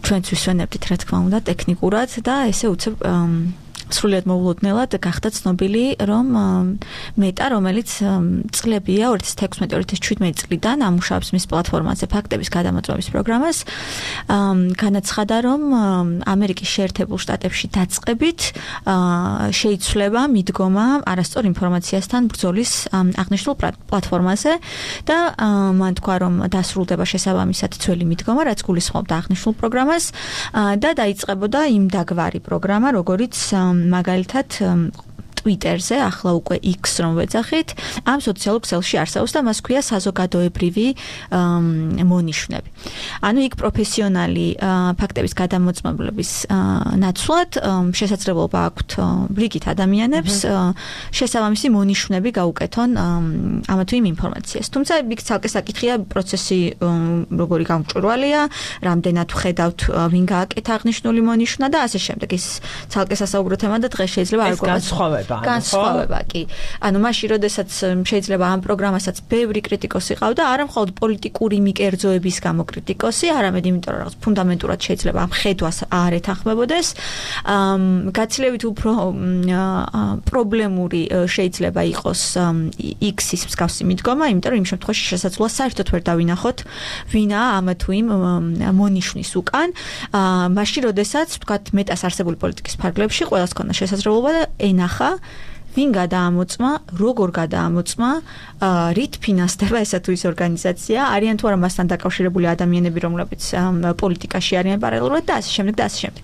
ჩვენც ვისვენებდით რა თქმა უნდა ტექნიკურად და ესე უცებ სრულიად მოულოდნელად გახდა ცნობილი, რომ მეტა, რომელიც წლებია ორი ათას თექვსმეტი ორი ათას შვიდმეტი წლიდან ამუშავებს მის პლატფორმაზე ფაქტების გადამოწმების პროგრამას, განაცხადა, რომ ამერიკის შეერთებულ შტატებში დაწყებით შეიცვლება მიდგომა არასწორ ინფორმაციასთან ბრძოლის აღნიშნულ პლატფორმაზე და მან თქვა, რომ დასრულდება შესაბამისად ძველი მიდგომა, რაც გულისხმობდა აღნიშნულ პროგრამას და დაიწყებოდა იმ დაგვარი პროგრამა, როგორიც მაგალითად Twitterზე, ახლა უკვე X რომ ვეძახით, ამ სოციალურ ქსელში არსებობს და მას ქვია საზოგადოებრივი მონიშნები. ანუ იქ პროფესიონალი ფაქტების გადამოწმებლების ნაცვლად შესაძლებლობა აქვთ რიგით ადამიანებს შესაბამისი მონიშნები გაუკეთონ ამა თუ იმ ინფორმაციას. თუმცა იქ ცალკე საკითხია პროცესი როგორი გამჭვირვალეა, რამდენად ვხედავთ ვინ გააკეთა აღნიშნული მონიშნა და ასე შემდეგ. ის ცალკე სასაუბრო თემა და დღეს შეიძლება არ გვაქვს. განსხვავება. განსხვავება კი. ანუ მაშინ როდესაც შეიძლება ამ პროგრამასაც ბევრი კრიტიკოსი ყავდა, არა მხოლოდ პოლიტიკური მიკერძოების გამო კრიტიკოსი, არამედ იმიტომ რომ რაღაც ფუნდამენტურად შეიძლება ამ ხედვას არ ეთანხმებოდეს. გაცილებით უფრო პრობლემური შეიძლება იყოს X-ის მსგავსი მიდგომა, იმიტომ რომ იმ შემთხვევაში შესაძლოა საერთოდ ვერ დავინახოთ ვინაა ამა თუ იმ მონიშნის უკან. მაშინ როდესაც ვთქვათ მეტას არსებული პოლიტიკის ფარგლებში ყველას ქონდა შესაძლებლობა და ენახა ვინ გადაამოწმა, როგორ გადაამოწმა, რით ფინანსდება ესა თუ ის ორგანიზაცია, არიან თუ არა მასთან დაკავშირებული ადამიანები, რომლებიც პოლიტიკაში არიან პარალელურად და ასე შემდეგ და ასე შემდეგ.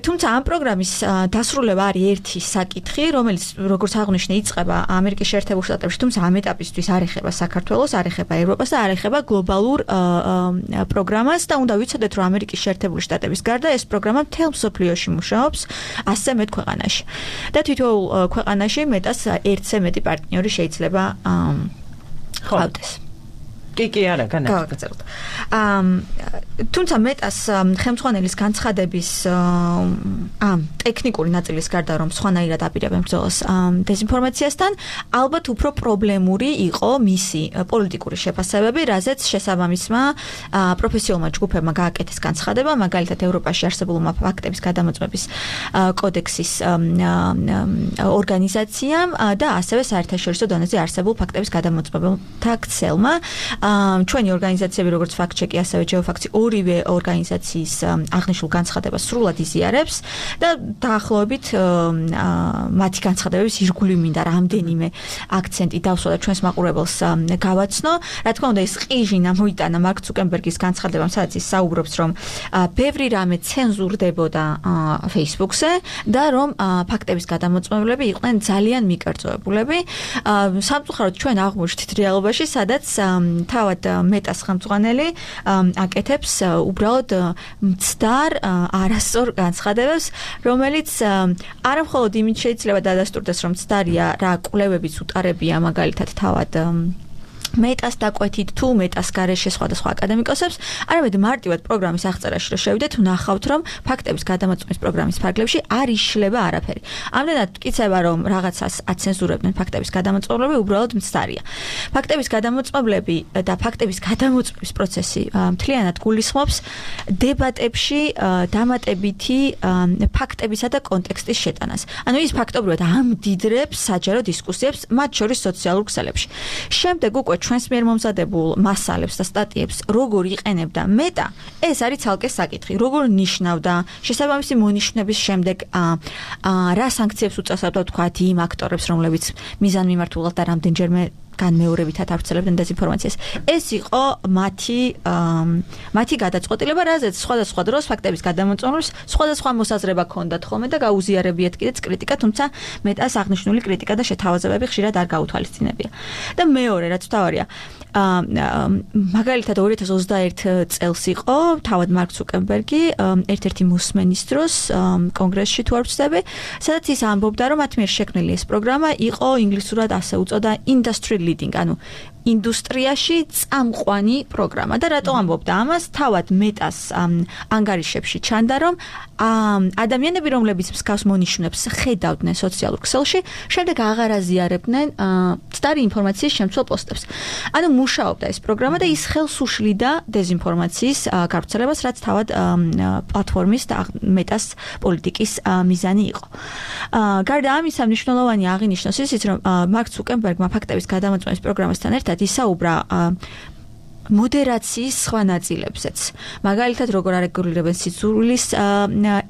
თუმცა ამ პროგრამის დასრულება არის ერთი საკითხი, რომელიც როგორც აღნიშნე იწყება ამერიკის შეერთებულ შტატებში, თუმცა ამ ეტაპისთვის არ ეხება საქართველოს, არ ეხება ევროპას და არ ეხება გლობალურ პროგრამას და უნდა ვიცოდეთ, რომ ამერიკის შეერთებული შტატების გარდა ეს პროგრამა მთელ მსოფლიოში მუშაობს ასზე მეტ ქვეყანაში. და თვითონ ქვეყანაში მეტას ერთზე მეტი პარტნიორი შეიძლება ყავდეს. კი კი არა განაგრძელოთ. თუმცა მეტას ხელმძღვანელის განცხადების ამ ტექნიკური ნაწილის გარდა რომ სხვანაირად აპირებენ ბრძოლას დეзинფორმაციასთან, ალბათ უფრო პრობლემური იყო მისი პოლიტიკური შეფასებები, რაზეც შესაბამისმა პროფესიონალმა ჯგუფებმა გააკეთეს განცხადება, მაგალითად ევროპაში არსებულმა ფაქტების გადამოწმების კოდექსის ორგანიზაციამ და ასევე საერთაშორისო დონეზე არსებულ ფაქტების გადამოწმებელთა ქსელმა. ჩვენი ორგანიზაციები როგორც ფაქტ-ჩეკი, ასევე ჯეოფაქტი ორივე ორგანიზაციის აღნიშნულ განცხადებას სრულად იზიარებს და დაახლოებით მათი განცხადებების ირგვლივ მინდა რამდენიმე აქცენტი დავსვა და ჩვენს მაყურებელს გავაცნო. რა თქმა უნდა, ეს ყიჟინა მოიტანა მარკ ცუკერბერგის განცხადებამ, სადაც ის საუბრობს, რომ ბევრი რამე ცენზურდებოდა Facebook-ზე და რომ ფაქტების გადამოწმებლები იყვნენ ძალიან მიკერძოებულები. სამწუხაროდ ჩვენ აღმოჩნდით რეალობაში, სადაც თავად მეტას ხელმძღვანელი აკეთებს უბრალოდ მცდარ არასწორ განცხადებებს, რომელიც არა მხოლოდ იმით შეიძლება დადასტურდეს, რომ მცდარია რა კვლევებიც უტარებია მაგალითად თავად მეტას დაკვეთით თუ მეტას გარეშე სხვადასხვა აკადემიკოსებს, არამედ მარტივად პროგრამის აღწერაში რო შევიდეთ, ვნახავთ, რომ ფაქტების გადამოწმების პროგრამის ფარგლებში არ იშლება არაფერი. ამდენად მტკიცება, რომ რაღაცას აცენზურებდნენ ფაქტების გადამოწმებლები, უბრალოდ მცდარია. ფაქტების გადამოწმებლები და ფაქტების გადამოწმების პროცესი მთლიანად გულისხმობს დებატებში დამატებითი ფაქტებისა და კონტექსტის შეტანას. ანუ ის ფაქტობრივად ამდიდრებს საჯარო დისკუსიებს, მათ შორის სოციალურ ქსელებში. შემდეგ უკვე ჩვენს მიერ მომზადებულ მასალებს და სტატიებს როგორ იყენებდა მეტა, ეს არის ცალკე საკითხი. როგორ ნიშნავდა შესაბამისი მონიშნების შემდეგ რა სანქციებს უწევდა თქვა იმ აქტორებს, რომლებიც მიზანმიმართულად და რამდენჯერმე განმეორებითად ავრცელებდნენ დეзинფორმაციას. ეს იყო მათი მათი გადაწყვეტილება, რაზეც სხვადასხვა დროს ფაქტების გადამოწმებებს სხვადასხვა მოსაზრება ჰქონდათ ხოლმე და გაუზიარებიათ კიდეც კრიტიკა, თუმცა მეტას აღნიშნული კრიტიკა და შეთავაზებები ხშირად არ გაუთვალისწინებია. და მეორე, რაც თავარია, მაგალითად ორი ათას ოცდაერთი წელს იყო თავად მარკ ცუკერბერგი ერთ-ერთი მოსმენის დროს კონგრესში თუ არ ვცდები, სადაც ის ამბობდა, რომ მათ მიერ შექმნილი ეს პროგრამა იყო ინგლისურად ასე უწოდა industry leading, ანუ ინდუსტრიაში წამყვანი პროგრამა და რატო ამბობდა ამას? თავად მეტას ანგარიშებში ჩანდა, რომ ადამიანები, რომლებიც მსგავს მონიშნებს ხედავდნენ სოციალურ ქსელში, შემდეგ აღარ აზიარებდნენ მცდარი ინფორმაციის შემცველ პოსტებს. ანუ მუშაობდა ეს პროგრამა და ის ხელს უშლიდა დეзинფორმაციის გავრცელებას, რაც თავად პლატფორმის და მეტას პოლიტიკის მიზანი იყო. გარდა ამისა, მნიშვნელოვანი აღინიშნოს ისიც, რომ მარკ ცუკერბერგმა ფაქტების გადამოწმების პროგრამასთან ერთად ისაუბრა მოდერაციის სხვა ნაწილებზეც. მაგალითად, როგორ არეგულირებენ სიძულვილის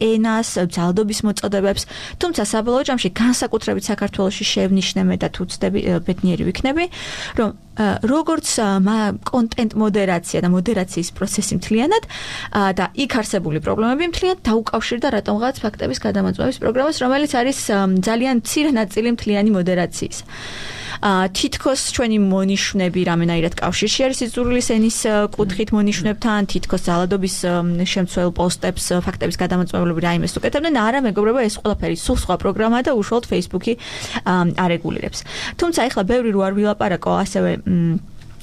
ენას, ძალადობის მოწოდებებს, თუმცა საბოლოო ჯამში განსაკუთრებით საქართველოში შევნიშნე და თუ ვცდები ბედნიერი ვიქნები, რომ როგორც კონტენტ მოდერაცია და მოდერაციის პროცესი მთლიანად და იქ არსებული პრობლემები მთლიანად დაუკავშირდა რატომღაც ფაქტების გადამოწმების პროგრამას, რომელიც არის ძალიან მცირე ნაწილი მთლიანი მოდერაციის. თითქოს ჩვენი მონიშნები რამენაირად კავშირში არის სიძულვილის ენის კუთხით მონიშნებთან, თითქოს ძალადობის შემცველ პოსტებს ფაქტების გადამოწმებლები რაიმეს უკეთებდნენ, არა მეგობრებო, ეს ყველაფერი სულ სხვა პროგრამაა და უშუალოდ Facebook-ი არეგულირებს. თუმცა ეხლა ბევრი რო არ ვილაპარაკო ასევე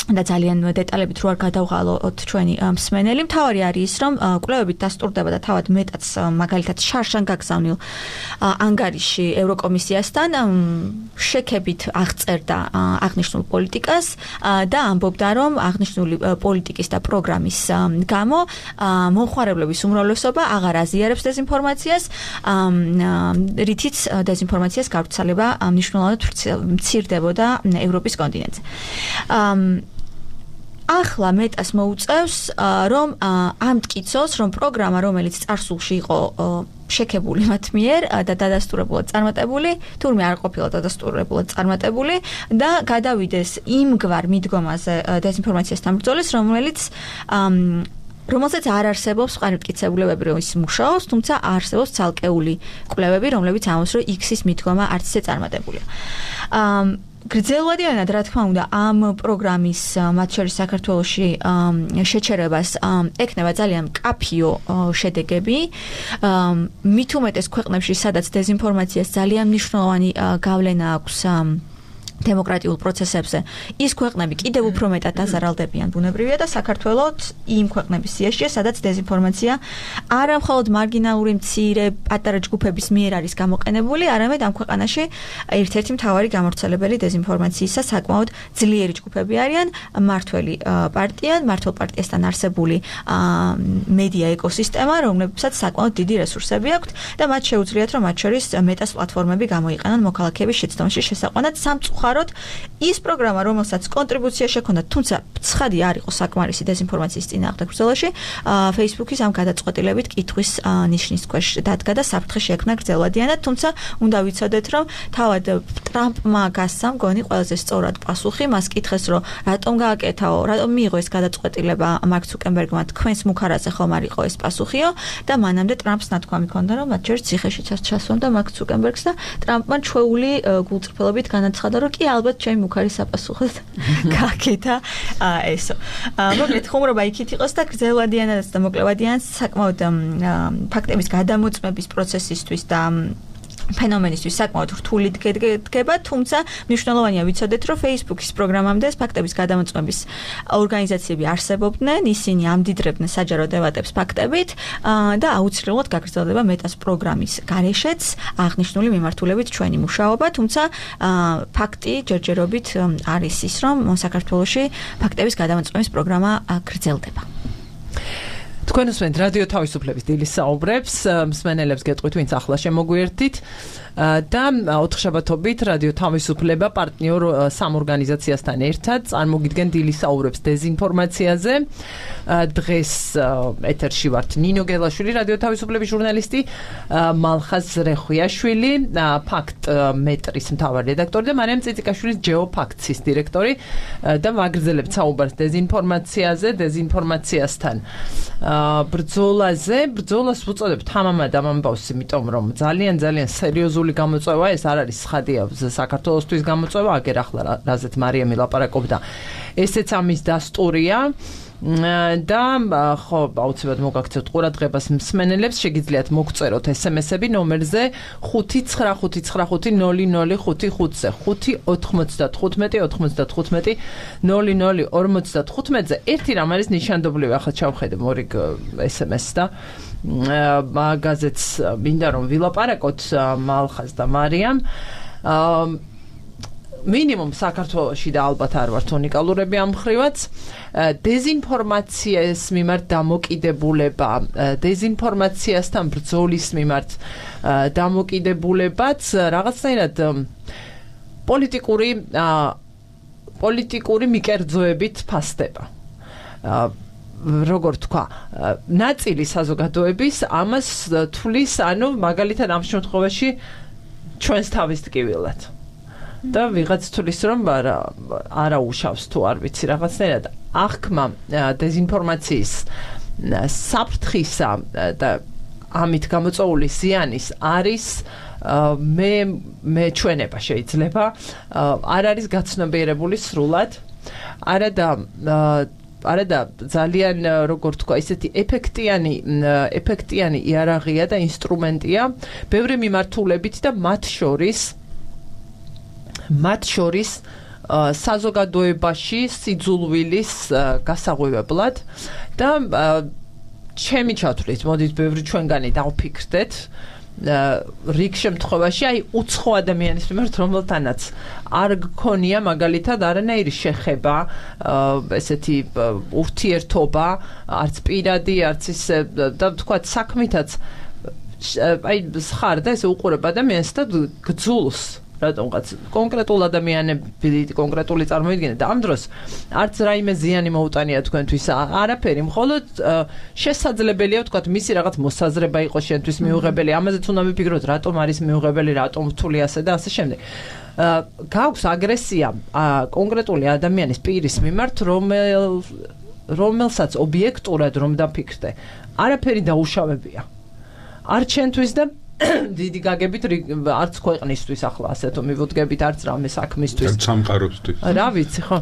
და ძალიან დეტალებით რო არ გადავღალოთ ჩვენი მსმენელი. მთავარი არის ის, რომ კვლევებით დასტურდება და თავად მეტაც მაგალითად შარშან გაგზავნილ ანგარიში ევროკომისიასთან შექებით აღწერდა აღნიშნულ პოლიტიკას და ამბობდა, რომ აღნიშნული პოლიტიკის და პროგრამის გამო მომხმარებლების უმრავლესობა აღარ აზიარებს დეზინფორმაციას, რითიც დეზინფორმაციას გავრცელება მნიშვნელოვნად მცირდებოდა ევროპის კონტინენტზე. ახლა მეტას მოუწევს, რომ ამტკიცოს, რომ პროგრამა, რომელიც წარსულში იყო შექებული მათ მიერ და დადასტურებულად წარმატებული, თურმე არ ყოფილა დადასტურებულად წარმატებული და გადავიდეს იმგვარ მიდგომაზე დეზინფორმაციასთან ბრძოლის, რომელიც რომელსაც არ არსებობს ყანმტკიცებულებები, რომ ის მუშაობს, თუმცა არსებობს ცალკეული კვლევები, რომლებიც ამბობს, რომ X-ის მიდგომა არც ისე წარმატებულია. გრძელვადიანად, რა თქმა უნდა, ამ პროგრამის მათ შორის საქართველოში შეჩერებას ეკნება ძალიან მკაფიო შედეგები. მით უმეტეს ქვეყნებში, სადაც დეზინფორმაციას ძალიან მნიშვნელოვანი გავლენა აქვს დემოკრატიულ პროცესებზე, ის ქვეყნები კიდევ უფრო მეტად დაზარალდებიან ბუნებრივია და საქართველოს იმ ქვეყნების სიაშია, სადაც დეზინფორმაცია არა მხოლოდ მარგინალური მცირე პატარა ჯგუფების მიერ არის გამოყენებული, არამედ ამ ქვეყანაში ერთ-ერთი მთავარი გამავრცელებელი დეზინფორმაციისა საკმაოდ ძლიერი ჯგუფები არიან მართველი პარტია, მართლ პარტიასთან არსებული მედია ეკოსისტემა, რომლებსაც საკმაოდ დიდი რესურსები აქვთ და მათ შეუძლიათ, რომ მათ შორის მეტას პლატფორმები გამოიყენონ მოქალაქეების შეცდომაში შესაყვანად სამწუხაროდ ის პროგრამა, რომელსაც კონტრიბუცია შექონდა, თუმცა ცხადი არ იყო საკმარისი დეზინფორმაციის წინააღმდეგ ბრძოლაში, Facebook-ის ამ გადაწყვეტილებით კითხვის ნიშნის ქვეშ დადგა და საფრთხე შეექმნა გრძელვადიანად, თუმცა უნდა ვიცოდეთ, რომ თავად ტრამპმა გასცა მგონი ყველაზე სწორად პასუხი, მას კითხეს, რომ რატომ გააკეთაო, რატომ მიიღო ეს გადაწყვეტილება მარკ ცუკერბერგმა, თქვენს მუქარაზე ხომ არ იყო ეს პასუხიო და მანამდე ტრამპს ნათქვამი ჰქონდა, რომ მათ შორის ციხეშიც ჩასვამდა მარკ ცუკერბერგს და ტრამპმა ჩვეული გულწრფელობით განაცხადა, რომ კი ალბათ ჩემი მუქარი საპასუხოდ გააკეთა ესო. მოკლედ ხუმრობა იქით იყოს და გრძელვადიანად და მოკლევადიანად საკმაოდ ფაქტების გადამოწმების პროცესისთვის და ფენომენისთვის საკმაოდ რთული დგება, თუმცა მნიშვნელოვანია ვიცოდეთ, რომ Facebook-ის პროგრამამდე ფაქტების გადამოწმების ორგანიზაციები არსებობდნენ, ისინი ამდიდრებდნენ საჯარო დებატებს ფაქტებით და აუცილებლად გაგრძელდება მეტას პროგრამის გარეშეც აღნიშნული მიმართულებით ჩვენი მუშაობა, თუმცა ფაქტი ჯერჯერობით არის ის, რომ საქართველოში ფაქტების გადამოწმების პროგრამა გრძელდება. თქვენ უსმენთ რადიო თავისუფლების დილის საუბრებს, მსმენელებს გეტყვით, ვინც ახლა შემოგვიერთდით და ოთხშაბათობით რადიო თავისუფლება პარტნიორ სამ ორგანიზაციასთან ერთად წარმოგიდგენ დილის საუბრებს დეზინფორმაციაზე. დღეს ეთერში ვართ ნინო გელაშვილი, რადიო თავისუფლების ჟურნალისტი, მალხაზ ზრეხვიაშვილი, ფაქტ მეტრის მთავარი რედაქტორი და მარიამ წიწიკაშვილის ჯეოფაქტსის დირექტორი და ვაგრძელებთ საუბარს დეზინფორმაციაზე, დეზინფორმაციასთან. ბრძოლაზე, ბრძოლას ვუწოდებ თამამად ამ ამბავს, იმიტომ რომ ძალიან ძალიან სერიოზული გამოწვევა ეს არ არის ცხადია საქართველოსთვის გამოწვევა, აგერ ახლა რაზეც მარიამი ლაპარაკობდა. ესეც ამის დასტურია. და ხო აუცილებლად მოგაქცევთ ყურადღებას მსმენელებს, შეგიძლიათ მოგწეროთ ესემესები ნომერზე ხუთი ცხრა ხუთი ცხრა ხუთი ნული ნული ხუთი ხუთზე ხუთი ოთხმოცდათხუთმეტი ოთხმოცდათხუთმეტი ნული ნული ორმოცდათხუთმეტზე. ერთი რამ არის ნიშანდობლივი, ახლა ჩავხედე მორიგ ესემესს და მაგაზეც მინდა რომ ვილაპარაკოთ მალხაზ და მარიამ. მინიმუმ საქართველოში და ალბათ არ ვართ უნიკალურები ამ ხრივაც, დეზინფორმაციას მიმართ დამოკიდებულება, დეზინფორმაციასთან ბრძოლის მიმართ დამოკიდებულებაც რაღაცნაირად პოლიტიკური პოლიტიკური მიკერძოებით ფასდება. როგორ თქვა, ნაწილი საზოგადოების ამას თვლის, ანუ მაგალითად ამ შემთხვევაში ჩვენს თავის ტკივილად. და ვიღაც თulis რომ არა უშავს თუ არ ვიცი რაღაცნაირად აღქმა დეზინფორმაციის საფრთხისა და ამით გამოწვეული ზიანის არის მე მე ჩვენება შეიძლება არ არის გაცნობიერებული სრულად არადა არადა ძალიან როგორ თქვა ისეთი ეფექტიანი ეფექტიანი იარაღია და ინსტრუმენტია ბევრი მიმართულებით და მათ შორის მათ შორის საზოგადოებაში სიძულვილის გასაღვივებლად და ჩემი ჩათვლით, მოდით ბევრი ჩვენგანი დავფიქრდეთ რიგ შემთხვევაში აი უცხო ადამიანის მიმართ რომელთანაც არ გქონია მაგალითად არანაირი შეხება ესეთი ურთიერთობა არც პირადი არც ის და თქვა საქმითაც აი ხარ და ესე უყურებ ადამიანს და გძულს რატომღაც კონკრეტულ ადამიანები კონკრეტული წარმოიდგინე და ამ დროს არც რაიმე ზიანი მოუტანია თქვენთვის არაფერი მხოლოდ შესაძლებელია ვთქვათ მისი რაღაც მოსაზრება იყოს შენთვის მიუღებელი ამაზეც უნდა ვიფიქროთ რატომ არის მიუღებელი რატომ რთული ასე და ასე შემდეგ გაქვს აგრესია კონკრეტული ადამიანის პირის მიმართ რომელ რომელსაც ობიექტურად რომ დაფიქრდე არაფერი დაუშავებია არ ჩვენთვის და დიდი გაგებით არც ქვეყნისთვის ახლა ასეთო მივუდგებით არც რამე საქმისთვის არც სამყაროსთვის რა ვიცი ხო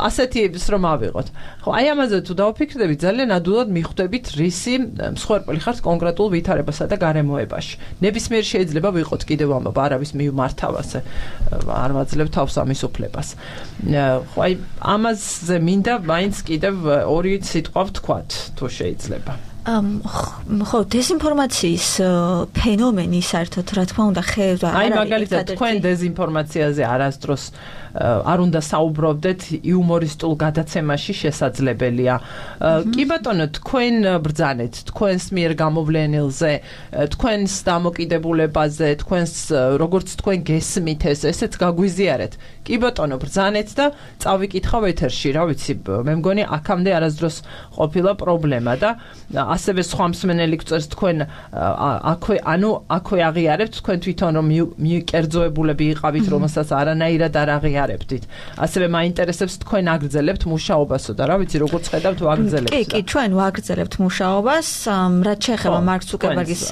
ასეთი ის რომ ავიღოთ ხო აი ამაზე თუ დავფიქრდები ძალიან ადვილად მიხვდებით რისი მსხვერპლი ხართ კონკრეტულ ვითარებასა და გარემოებაში ნებისმიერ შეიძლება ვიყოთ კიდევ ამბობ არავის მიმართავ ასე არ ვაძლევ თავს ამის უფლებას ხო აი ამაზე მინდა მაინც კიდევ ორი სიტყვა ვთქვათ თუ შეიძლება ხო, დეზინფორმაციის ფენომენი საერთოდ რა თქმა უნდა ხევდა აი მაგალითად თქვენ დეზინფორმაციაზე არასდროს არ უნდა საუბრობდეთ იუმორისტულ გადაცემაში შესაძლებელია. კი ბატონო, თქვენ ბრძანეთ, თქვენს მიერ გამოვლენილზე, თქვენს დამოკიდებულებაზე, თქვენს როგორც თქვენ გესმით ეს, ესეც გაგვიზიარეთ. კი ბატონო, ბრძანეთ და წავიკითხავ ეთერში, რა ვიცი, მე მგონი აქამდე არასდროს ყოფილა პრობლემა და ასევე სხვა მსმენელი გწერს თქვენ აქვე, ანუ აქვე აღიარებთ თქვენ თვითონ რომ მიკერძოებულები იყავით, რომელსაც არანაირად არ აღიარებდით. ასევე მაინტერესებს თქვენ აგრძელებთ მუშაობასო და რა ვიცი, როგორც ხედავთ ვაგრძელებთ. კი, კი, ჩვენ ვაგრძელებთ მუშაობას, რაც შეეხება მარკ ცუკერბერგის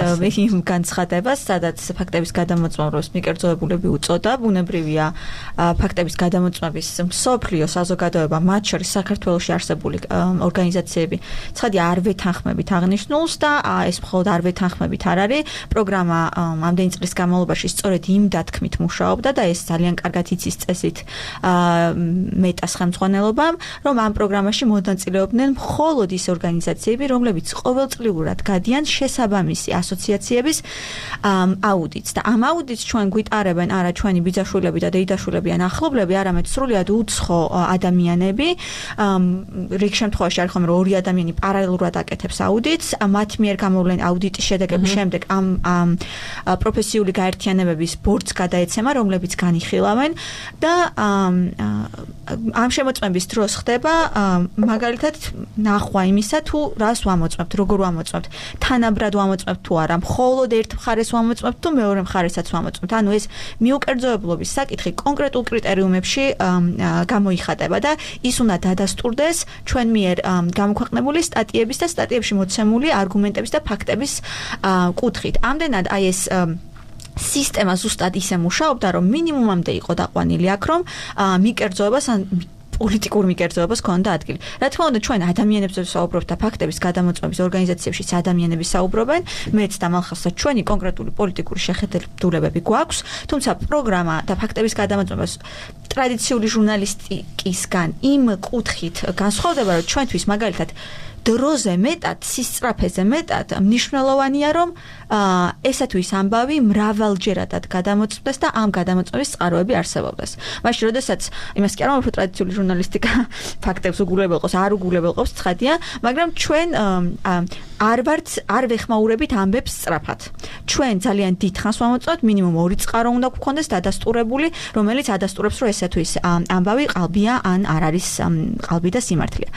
იმ განცხადებას, სადაც ფაქტების გადამოწმებას მიკერძოებულები უწოდა, ბუნებრივია ფაქტების გადამოწმების მსოფლიო საზოგადოება, მათ შორის საქართველოში არსებული ორგანიზაციები, ცხადია არ ვეთანხმებით აღნიშნულს და ეს მხოლოდ არ ვეთანხმებით არ არის. პროგრამა ამდენი წლის განმავლობაში სწორედ იმ დათქმით მუშაობდა და ეს ძალიან კარგად იცის წესით მეტას ხელმძღვანელობამ, რომ ამ პროგრამაში მონაწილეობდნენ მხოლოდ ის ორგანიზაციები, რომლებიც ყოველწლიურად გადიან შესაბამისი ასოციაციების აუდიტს და ამ აუდიტს ჩვენ გვიტარებენ არა ჩვენი ბიძაშვილები და დეიდაშვილები ან ახლობლები, არამედ სრულიად უცხო ადამიანები. რიგ შემთხვევაში არის ხომ რომ ორი ადამიანი პარალელურად აკეთებს აუდიტს, მათ მიერ გამოვლენ აუდიტის შედეგების შემდეგ ამ პროფესიული გაერთიანებების ბორდს გადაეცემა, რომლებიც განიხილავენ და ამ შემოწმების დროს ხდება მაგალითად ნახვა იმისა, თუ რას ვამოწმებთ, როგორ ვამოწმებთ, თანაბრად ვამოწმებთ თუ არა, მხოლოდ ერთ მხარეს ვამოწმებთ თუ მეორე მხარესაც ვამოწმებთ. ანუ ეს მიუკერძოებლობის საკითხი კონკრეტულ კრიტერიუმებში გამოიხატება და ის უნდა დადასტურდეს ჩვენ მიერ გამოქვეყნებული სტატიების და სტატიებში მოცემული არგუმენტების და ფაქტების კუთხით. ამდენად აი ეს სისტემა ზუსტად ისე მუშაობდა, რომ მინიმუმამდე იყო დაყვანილი აქ, რომ მიკერძოებას ან პოლიტიკურ მიკერძოებას ქონდა ადგილი. რა თქმა უნდა, ჩვენ ადამიანებზე ვსაუბრობთ და ფაქტების გადამოწმების ორგანიზაციებშიც ადამიანები საუბრობენ, მეც და მალხასაც ჩვენი კონკრეტული პოლიტიკური შეხედულებები გვაქვს, თუმცა პროგრამა და ფაქტების გადამოწმებას ტრადიციული ჟურნალისტიკისგან იმ კუთხით განსხვავდება, რომ ჩვენთვის მაგალითად დროზე მეტად, სისწრაფეზე მეტად მნიშვნელოვანია, რომ ესა თუ ის ამბავი მრავალჯერადად გადამოწმდეს და ამ გადამოწმების წყაროები არსებობდეს. მაშინ, როდესაც იმას კი არ ვამბობ, ტრადიციული ჟურნალისტიკა ფაქტებს უგულებელყავს, არ უგულებელყავს, ცხადია, მაგრამ ჩვენ არ ვართ, არ ვეხმაურებით ამბებს სწრაფად. ჩვენ ძალიან დიდ ხანს ვამოწმებთ, მინიმუმ ორი წყარო უნდა გვქონდეს დადასტურებული, რომელიც ადასტურებს, რომ ესა თუ ის ამბავი ყალბია ან არ არის ყალბი და სიმართლეა.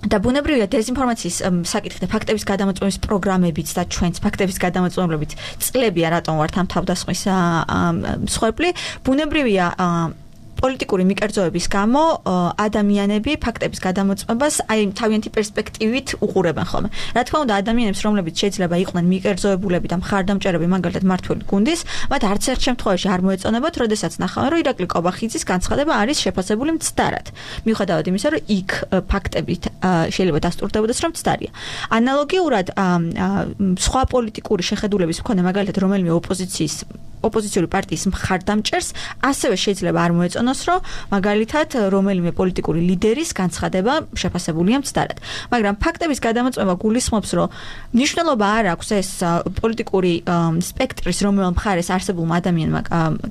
და ბუნებრივია დეზინფორმაციის საკითხი და ფაქტების გადამოწმების პროგრამებიც და ჩვენც ფაქტების პოლიტიკური მიკერძოების გამო ადამიანები ფაქტების გადამოწმებას აი თავიანთი პერსპექტივით უყურებენ ხოლმე. Რა თქმა უნდა, ადამიანებს, რომლებიც შეიძლება იყვნენ მიკერძოებულები და მხარდამჭერები, მაგალითად მართველი გუნდის, მათ არც ერთ შემთხვევაში არ მოეწონებათ, როდესაც ნახავენ, რომ ირაკლი კობახიძის განცხადება არის შეფასებული მცდარად. მიუხედავად იმისა, რომ იქ ფაქტებით შეიძლება დასტურდებოდეს, რომ მცდარია. ანალოგიურად სხვა პოლიტიკური შეხედულების მქონე, მაგალითად, რომელიმე ოპოზიციის ოპოზიციური პარტიის მხარდამჭერს ასევე შეიძლება არ მოეწონოს, რომ მაგალითად რომელიმე პოლიტიკური ლიდერის განცხადება შეფასებულია მცდარად. მაგრამ ფაქტების გადამოწმება გულისხმობს, რომ მნიშვნელობა არ აქვს ეს პოლიტიკური სპექტრის რომელიმე მხარეს არსებულმა ადამიანმა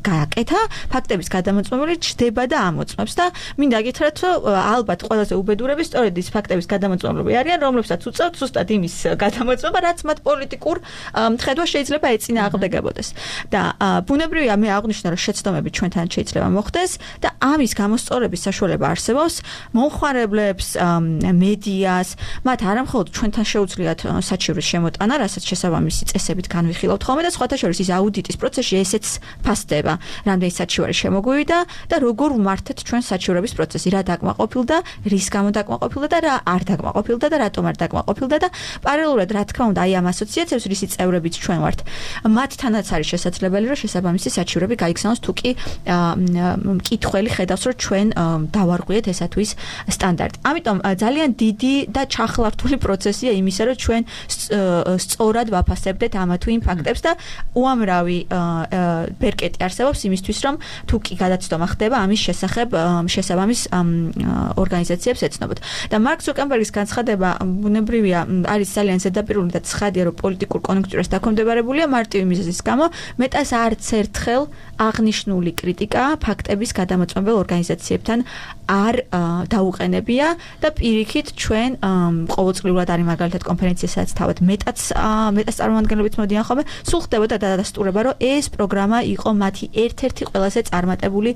გააკეთა, ფაქტების გადამოწმებული ჩდება და ამოწმებს და მინდა გითხრათ, რომ ალბათ ყველაზე უბედურები სწორედ ის ფაქტების გადამოწმებლები არიან, რომლებსაც უწევთ ზუსტად იმის გადამოწმება, რაც მათ პოლიტიკურ მხედვას შეიძლება ეწინააღმდეგებოდეს. და ბუნებრივია მე აღვნიშნა, რომ შეცდომები ჩვენთან შეიძლება მოხდეს და ამის გამოსწორების საშუალება არსებობს მომხმარებლებს, მედიას, მათ არამხოლოდ ჩვენთან შეუძლიათ საჩივრის შემოტანა, რასაც შესაბამისი წესებით განვიხილავთ ხოლმე და სხვათა შორის ის აუდიტის პროცესში ესეც ფასდება, რამდენი საჩივარი შემოგვივიდა და როგორ ვმართეთ ჩვენ საჩივრების პროცესი, რა დაკმაყოფილდა, რის გამო დაკმაყოფილდა და რა არ დაკმაყოფილდა და რატომ არ დაკმაყოფილდა და პარალელურად რა თქმა უნდა, აი ამ ასოციაციებს, რისი წევრებიც ჩვენ ვართ, მათთანაც არის შესაძლებელი, რომ შესაბამისი საჩივრები გაიგზავნოს თუ კი მკითხველი ხედავს, რომ ჩვენ დავარღვიეთ ესა თუ ის სტანდარტი. ამიტომ ძალიან დიდი და ჩახლართული პროცესია იმისა, რომ ჩვენ სწორად ვაფასებდეთ ამა თუ იმ ფაქტებს და უამრავი ბერკეტი არსებობს იმისთვის, რომ თუ კი გადაცდომა ხდება, ამის შესახებ შესაბამის ორგანიზაციებს ეცნობოთ. და მარკ ზუკერბერგის განცხადება ბუნებრივია არის ძალიან ზედაპირული და ცხადია, რომ პოლიტიკურ კონიუნქტურას დაქვემდებარებულია მარტივი მიზეზის გამო, მეტას არც ერთხელ აღნიშნული კრიტიკა ფაქტების გადამოწმებელ ორგანიზაციებთან არ დაუყენებია და პირიქით ჩვენ ყოველწლიურად არის მაგალითად კონფერენცია, სადაც თავად მეტაც მეტას წარმომადგენლებით მოდიან ხოლმე, სულ ხდებოდა დადასტურება, რომ ეს პროგრამა იყო მათი ერთ-ერთი ყველაზე წარმატებული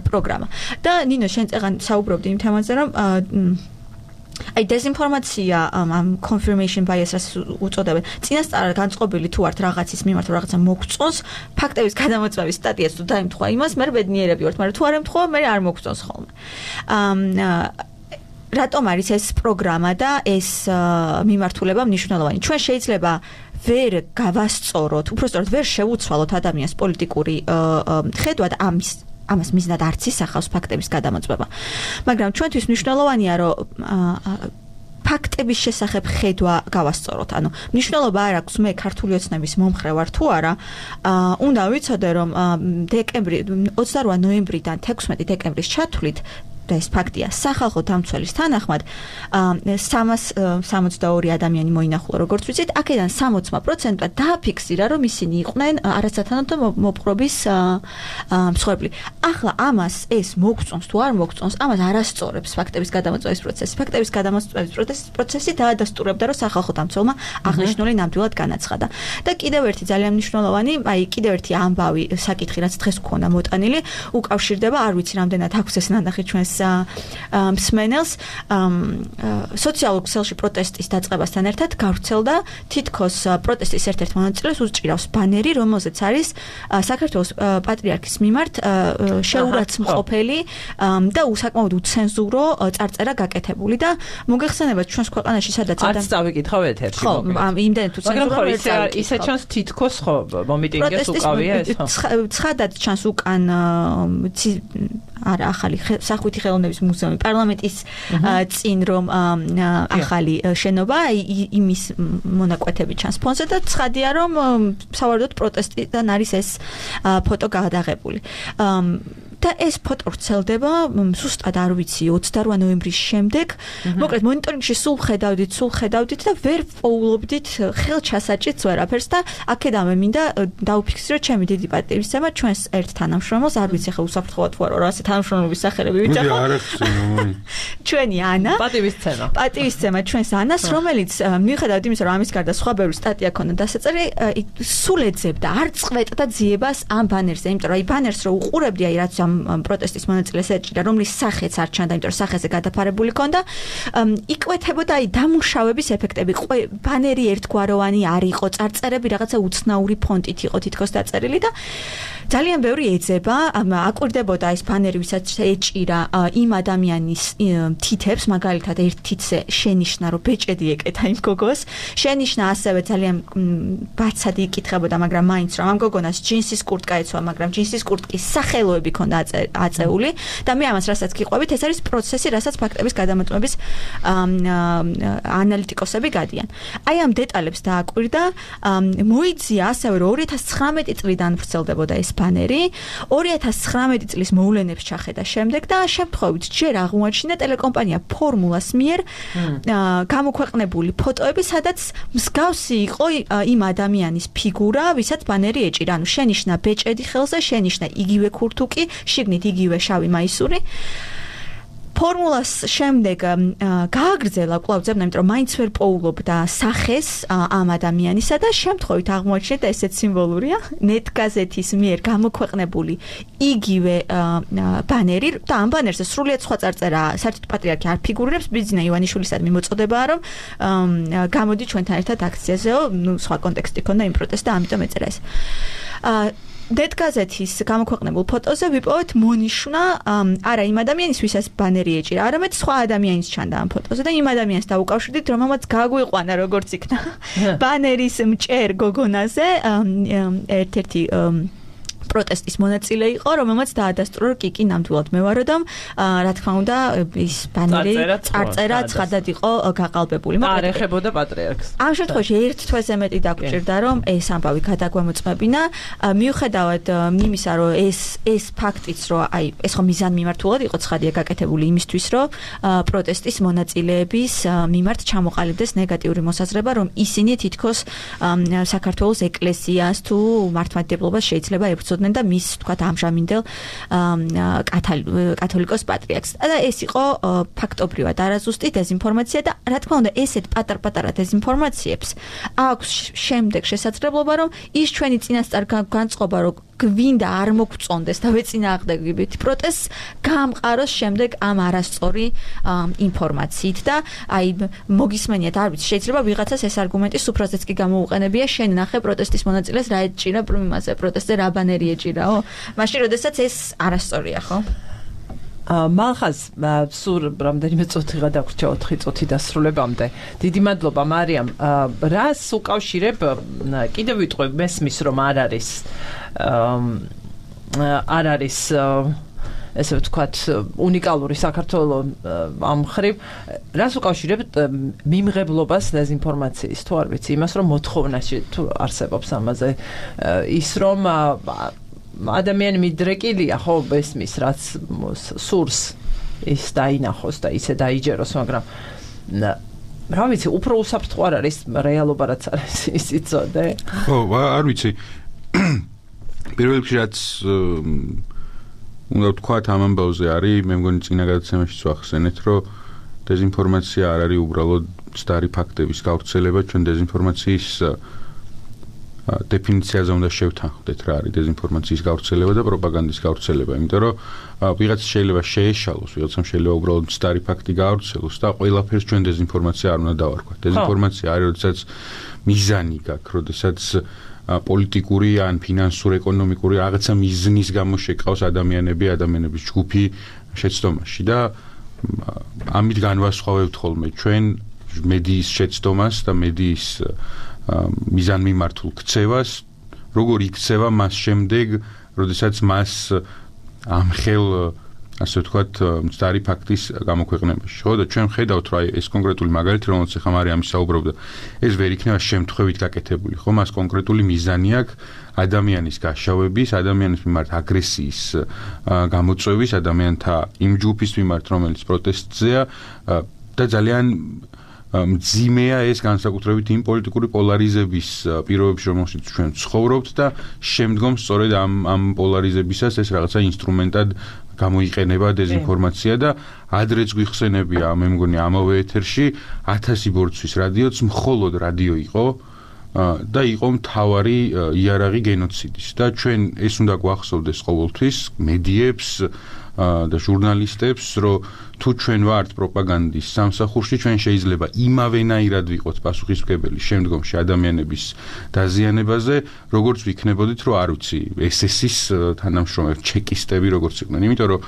პროგრამა. და ნინო, შენ წეგან საუბრობდი იმ თემაზე, რომ აი დეზინფორმაცია ამ confirmation bias-ს უწოდებენ. წინასწარ განწყობილი თუ ართ რაღაცის მიმართ რაღაცა მოგწონს, ფაქტების გადამოწმების სტატიას თუ დაემთხვა იმას, მე ბედნიერები ვართ, მაგრამ თუ არ ემთხვა, მე არ მოგწონს ხოლმე. აა რატომ არის ეს პროგრამა და ეს მიმართულება მნიშვნელოვანი? ჩვენ შეიძლება ვერ გავასწოროთ, უბრალოდ ვერ შევუცვალოთ ადამიანს პოლიტიკური ხედვა და ამის ამას მიზნად არც ისახავს ფაქტების გადამოწმება. მაგრამ ჩვენთვის მნიშვნელოვანია, რომ ფაქტების შესახებ ხედვა გავასწოროთ. ანუ მნიშვნელობა არ აქვს მე ქართული ოცნების მომხრე ვარ თუ არა. უნდა ვიცოდე, რომ დეკემბრი ოცდარვა ნოემბრიდან თექვსმეტი დეკემბრის ჩათვლით და ეს ფაქტია სახალხო დამცველის თანახმად სამას სამოცდაორი ადამიანი მოინახულა, როგორც ვიცით, აქედან სამოცდა პროცენტად დააფიქსირა, რომ ისინი იყვნენ არასათანადო მოპყრობის მსხვერპლი. ახლა ამას ეს მოგწონს თუ არ მოგწონს, ამას არასწორებს ფაქტების გადამოწმების პროცესი. ფაქტების გადამოწმების პროცესი დაადასტურებდა, რომ სახალხო დამცველმა აღნიშნული ნამდვილად განაცხადა. და კიდევ ერთი ძალიან მნიშვნელოვანი, აი კიდევ ერთი ამბავი საკითხი, რაც დღეს გქონდა მოტანილი, უკავშირდება, არ ვიცი რამდენად აქვს ეს ნანახი ჩვენს მსმენელს, სოციალურ ქსელში პროტესტის დაწყებასთან ერთად გავრცელდა თითქოს პროტესტის ერთ-ერთ მონაწილეს უსჭირავს ბანერი, რომელზეც არის საქართველოს პატრიარქის მიმართ შეურაცხმყოფელი და უსაკმაოდ უცენზურო წარწერა გაკეთებული და მოგეხსენებათ ჩვენს ქვეყანაში სადაც არც წავიკითხავ ერთ-ერთი ხო, იმდენ თუ ცენზურა ვერ წავიკითხავ. ისე ჩანს თითქოს ხო მომიტინგეს უკავია ეს ხო? ცხადად ჩანს უკან არა ახალი სახვითი ხელოვნების მუზეუმი პარლამენტის წინ რომ ახალი შენობა იმის მონაკვეთები ჩანს ფონზე და ცხადია რომ სავარაუდოდ პროტესტიდან არის ეს ფოტო გადაღებული. და ეს ფოტო ვრცელდება ზუსტად არ ვიცი ოცდარვა ნოემბრის შემდეგ. მოკლედ მონიტორინგში სულ ხედავდით, სულ ხედავდით და ვერ პოულობდით ხელჩასაჭიც ვერაფერს და აქედანვე მინდა დავფიქსირო ჩემი დიდი პატივისცემა ჩვენს ერთ თანამშრომელს, არ ვიცი ხა უსაფრთხოა თუ არა, ასე თანამშრომლობის სახელები ვიძახო. ჩვენი ანა. პატივისცემა. პატივისცემა ჩვენს ანას, რომელიც მიუხედავად იმისა, რომ ამის გარდა სხვა ბევრი სტატია ქონდა დასაწერი, სულ ეძებდა არ წყვეტდა ძიებას ამ ბანერზე, იმიტომ რომ აი ბანერს რო უყურებდი, აი რაც პროტესტის მონაწილეს ეჭირა, რომლის სახეც არ ჩანდა, იმიტომ რომ სახეზე გადაფარებული ქონდა, იკვეთებოდა აი დამუშავების ეფექტები. ბანერი ერთგვაროვანი არ იყო, წარწერები რაღაცა უცნაური ფონტით იყო თითქოს დაწერილი და ძალიან ბევრი ეძება, აკვირდებოდა ეს ბანერი, ვისაც ეჭირა იმ ადამიანის თითებს, მაგალითად ერთ თითზე შენიშნა, რომ ბეჭედი ეკეთა იმ გოგოს. შენიშნა ასევე ძალიან ბაცად იკითხებოდა, მაგრამ მაინც რომ ამ გოგონას ჯინსის კურტკა ეცვა, მაგრამ ჯინსის კურტკის სახელოები ქონდა აწეული და მე ამას რასაც გიყვებით, ეს არის პროცესი, რასაც ფაქტების გადამოწმების ანალიტიკოსები გადიან. აი ამ დეტალებს დააკვირდა, მოიძია ასევე რომ ორი ათას ცხრამეტი წლიდან ვრცელდებოდა ეს ბანერი, ორი ათას ცხრამეტი წლის მოვლენებს ჩახედა შემდეგ და შემთხვევით ჯერ აღმოაჩინა ტელეკომპანია ფორმულას მიერ გამოქვეყნებული ფოტოები, სადაც მსგავსი იყო იმ ადამიანის ფიგურა, ვისაც ბანერი ეჭირა. ანუ შენიშნა ბეჭედი ხელზე, შენიშნა იგივე ქურთუკი, შიგნით იგივე შავი მაისური. ფორმულას შემდეგ გააგრძელა კვლავ ძებნა, იმიტომ რომ მაინც ვერ პოულობდა სახეს ამ ადამიანისა და შემთხვევით აღმოაჩინეთ ესეც სიმბოლურია, ნეტგაზეთის მიერ გამოქვეყნებული იგივე ბანერი და ამ ბანერზე სრულიად სხვა წარწერა, საერთოდ პატრიარქი არ ფიგურირებს, ბიძინა ივანიშვილისადმი მოწოდებაა, რომ გამოდი ჩვენთან ერთად აქციაზეო, ნუ სხვა კონტექსტი ქონდა იმ პროტესტს და ამიტომ ეწერა ეს. დეტგაზეთის გამოქვეყნებულ ფოტოზე ვიპოვეთ მონიშნა არა იმ ადამიანის, ვისაც ბანერი ეჭირა, არამედ სხვა ადამიანის ჩანდა ამ ფოტოზე და იმ ადამიანს დაუკავშირდით, რომელმაც გაგვიყვანა როგორც იქნა ბანერის მჭერ გოგონაზე ერთ-ერთი პროტესტის მონაწილე იყო, რომელმაც დაადასტურა, რომ კი კი ნამდვილად მე ვარო და რა თქმა უნდა ის ბანერი წარწერა ცხადად იყო გაყალბებული. არ ეხებოდა პატრიარქს. ამ შემთხვევაში ერთ თვეზე მეტი დაგვჭირდა, რომ ეს ამბავი გადაგვემოწმებინა, მიუხედავად იმისა, რომ ეს ეს ფაქტიც, რომ აი ეს ხო მიზანმიმართულად იყო ცხადია გაკეთებული იმისთვის, რომ პროტესტის მონაწილეების მიმართ ჩამოყალიბდეს ნეგატიური მოსაზრება, რომ ისინი თითქოს საქართველოს ეკლესიას თუ მართლმადიდებლობას შეიძლება ებრძოდნენ და მის თქვათ ამჟამინდელ კათოლიკოს პატრიარქს. და ეს იყო ფაქტობრივად არაზუსტი დეზინფორმაცია და რა თქმა უნდა ესეთ პატარ-პატარა დეზინფორმაციებს აქვს შემდეგ შესაძლებლობა, რომ ის ჩვენი წინასწარ განწყობა, რომ გვინდა არ მოგწონდეს და ვეწინააღმდეგებით პროტესტს გამყაროს შემდეგ ამ არასწორი ინფორმაციით და აი მოგისმენიათ, არ ვიცი, შეიძლება ვიღაცას ეს არგუმენტი სუფრაზეც კი გამოუყენებია, შენ ნახე პროტესტის მონაწილეს რა ეჭირა იმაზე პროტესტზე რა ბანერი ეჭირაო, მაშინ როდესაც ეს არასწორია, ხო? მალხაზ სულ რამდენიმე წუთი გადაგვრჩა ოთხი წუთი დასრულებამდე. დიდი მადლობა მარიამ. რას უკავშირებ, კიდევ ვიტყვი, მესმის რომ არ არის არ არის ესე ვთქვათ უნიკალური საქართველოს ამ ხრივ, რას უკავშირებთ მიმღებლობას დეზინფორმაციის, თუ არ ვიცი, იმას რომ მოთხოვნაში თუ არსებობს ამაზე ის რომ ადამიანი მიდრეკილია, ხო, ესმის, რაც სურს ის დაინახოს და ისე დაიჯეროს, მაგრამ რა ვიცი, უფრო უსაფრთხო არ არის რეალობა, რაც არის ის იცოდე? ხო, არ ვიცი. პირველ რიგში რაც უნდა ვთქვათ ამ ამბავზე არის, მე მგონი წინა გადაცემაშიც ვახსენეთ, რომ დეზინფორმაცია არ არის უბრალოდ მცდარი ფაქტების გავრცელება, ჩვენ დეზინფორმაციის დეფინიციაზე უნდა შევთანხმდეთ რა არის დეზინფორმაციის გავრცელება და პროპაგანდის გავრცელება, იმიტომ რომ ვიღაც შეიძლება შეეშალოს, ვიღაცამ შეიძლება უბრალოდ მცდარი ფაქტი გაავრცელოს და ყველაფერს ჩვენ დეზინფორმაცია არ უნდა დავარქვათ. დეზინფორმაცია არის, როდესაც მიზანი გაქვს, როდესაც პოლიტიკური ან ფინანსური, ეკონომიკური რაღაცა მიზნის გამო შეკავს ადამიანები, ადამიანების ჯგუფი შეცდომაში და ამით განვასხვავებთ ხოლმე ჩვენ მედიის შეცდომას და მედიის მიზანმიმართულ ქცევას, როგორ იქცევა მას შემდეგ, როდესაც მას ამხელ, ასე ვთქვათ, მცდარი ფაქტის გამოქვეყნებაში. ხო, და ჩვენ ხედავთ, რომ ეს კონკრეტული მაგალითი, რომელსაც ახლა მარიამ ისაუბრებდა, ეს ვერ იქნება შემთხვევით გაკეთებული, ხო? მას კონკრეტული მიზანი აქვს ადამიანის გაშავების, ადამიანის მიმართ აგრესიის გამოწვევის, ადამიანთა იმ ჯგუფის მიმართ, რომელიც პროტესტზეა და ძალიან მძიმეა ეს განსაკუთრებით იმ პოლიტიკური პოლარიზების პირობებში, რომელშიც ჩვენ ცხოვრობთ და შემდგომ სწორედ ამ ამ პოლარიზებისას ეს რაღაცა ინსტრუმენტად გამოიყენება დეზინფორმაცია და ადრეც გვიხსენებია, მე მგონი ამავე ეთერში ათასი ბორცვის რადიოც მხოლოდ რადიო იყო და იყო მთავარი იარაღი გენოციდის და ჩვენ ეს უნდა გვახსოვდეს ყოველთვის მედიებს და ჟურნალისტებს, რომ თუ ჩვენ ვართ პროპაგანდის სამსახურში, ჩვენ შეიძლება იმავენაირად ვიყოთ პასუხისმგებელი შემდგომში ადამიანების დაზიანებაზე, როგორც ვიქნებოდით, რომ არ ვიცი, ეს ეს-ის თანამშრომლები, ჩეკისტები როგორც იყვნენ, იმიტომ რომ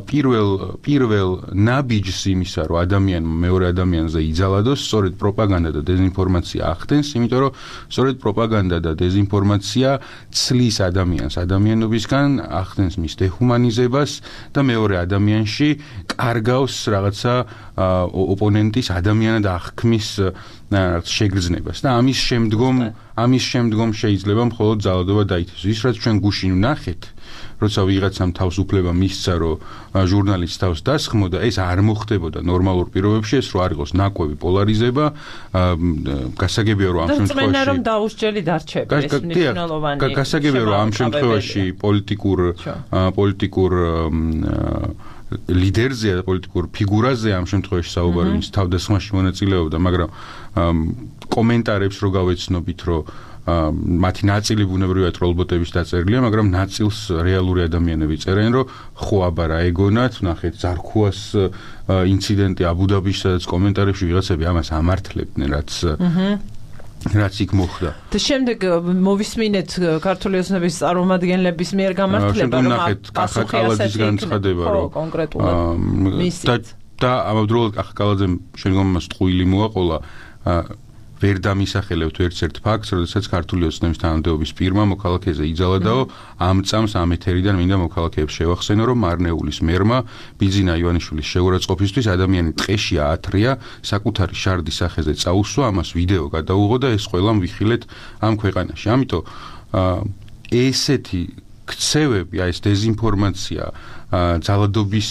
პირველ პირველ ნაბიჯს იმისა, რომ ადამიანმა მეორე ადამიანზე იძალადოს, სწორედ პროპაგანდა და დეზინფორმაცია ახდენს, იმიტომ რომ სწორედ პროპაგანდა და დეზინფორმაცია ცლის ადამიანს ადამიანობისგან, ახდენს მის დეჰუმანიზებას და მეორე ადამიანში კარგავს რაღაცა ოპონენტის ადამიანად აღქმის შეგრძნებას და ამის შემდგომ ამის შემდგომ შეიძლება მხოლოდ ძალადობა დაითესოს. ის რაც ჩვენ გუშინ ვნახეთ, როცა ვიღაცამ თავს უფლება მისცა, რომ ჟურნალისტს თავს დასხმოდა, ეს არ მოხდებოდა ნორმალურ პირობებში, ეს რო არ იყოს ნაკვები პოლარიზება, გასაგებია რომ ამ შემთხვევაში და რომ დაუსჯელი დარჩება, ეს მნიშვნელოვანია. გასაგებია რომ ამ შემთხვევაში პოლიტიკურ პოლიტიკურ ლიდერზე და პოლიტიკურ ფიგურაზე ამ შემთხვევაში საუბარი ის თავდასხმაში მონაწილეობდა, მაგრამ კომენტარებს რო გავეცნობით, რომ მათი ნაწილი ბუნებრივად რობოტების დაწერილია, მაგრამ ნაწილს რეალური ადამიანები წერენ, რომ ხო აბა რა ეგონათ, ნახეთ ზარქუას ინციდენტი აბუ-დაბიში, სადაც კომენტარებში ვიღაცები ამას ამართლებდნენ, რაც რაც იქ მოხდა. და შემდეგ მოვისმინეთ ქართული ოცნების წარმომადგენლების მიერ გამართლება, რომ პასუხი ასეთი განცხადება, რომ კონკრეტულად და და ამავდროულად კახაკალაძემ შემდგომ მას ტყუილი მოაყოლა, ვერ დამისახელებთ ერთ-ერთ ფაქტს, როდესაც ქართული ოცნების თანამდებობის პირმა მოქალაქეზე იძალადაო, ამ წამს ამ ეთერიდან მინდა მოქალაქეებს შევახსენო, რომ მარნეულის მერმა ბიძინა ივანიშვილის შეურაცხყოფისთვის ადამიანი ტყეში აათრია, საკუთარი შარდის სახეზე წაუსვა, ამას ვიდეო გადაუღო და ეს ყველამ ვიხილეთ ამ ქვეყანაში. ამიტომ ესეთი ქცევები, აი ეს დეზინფორმაცია, ძალადობის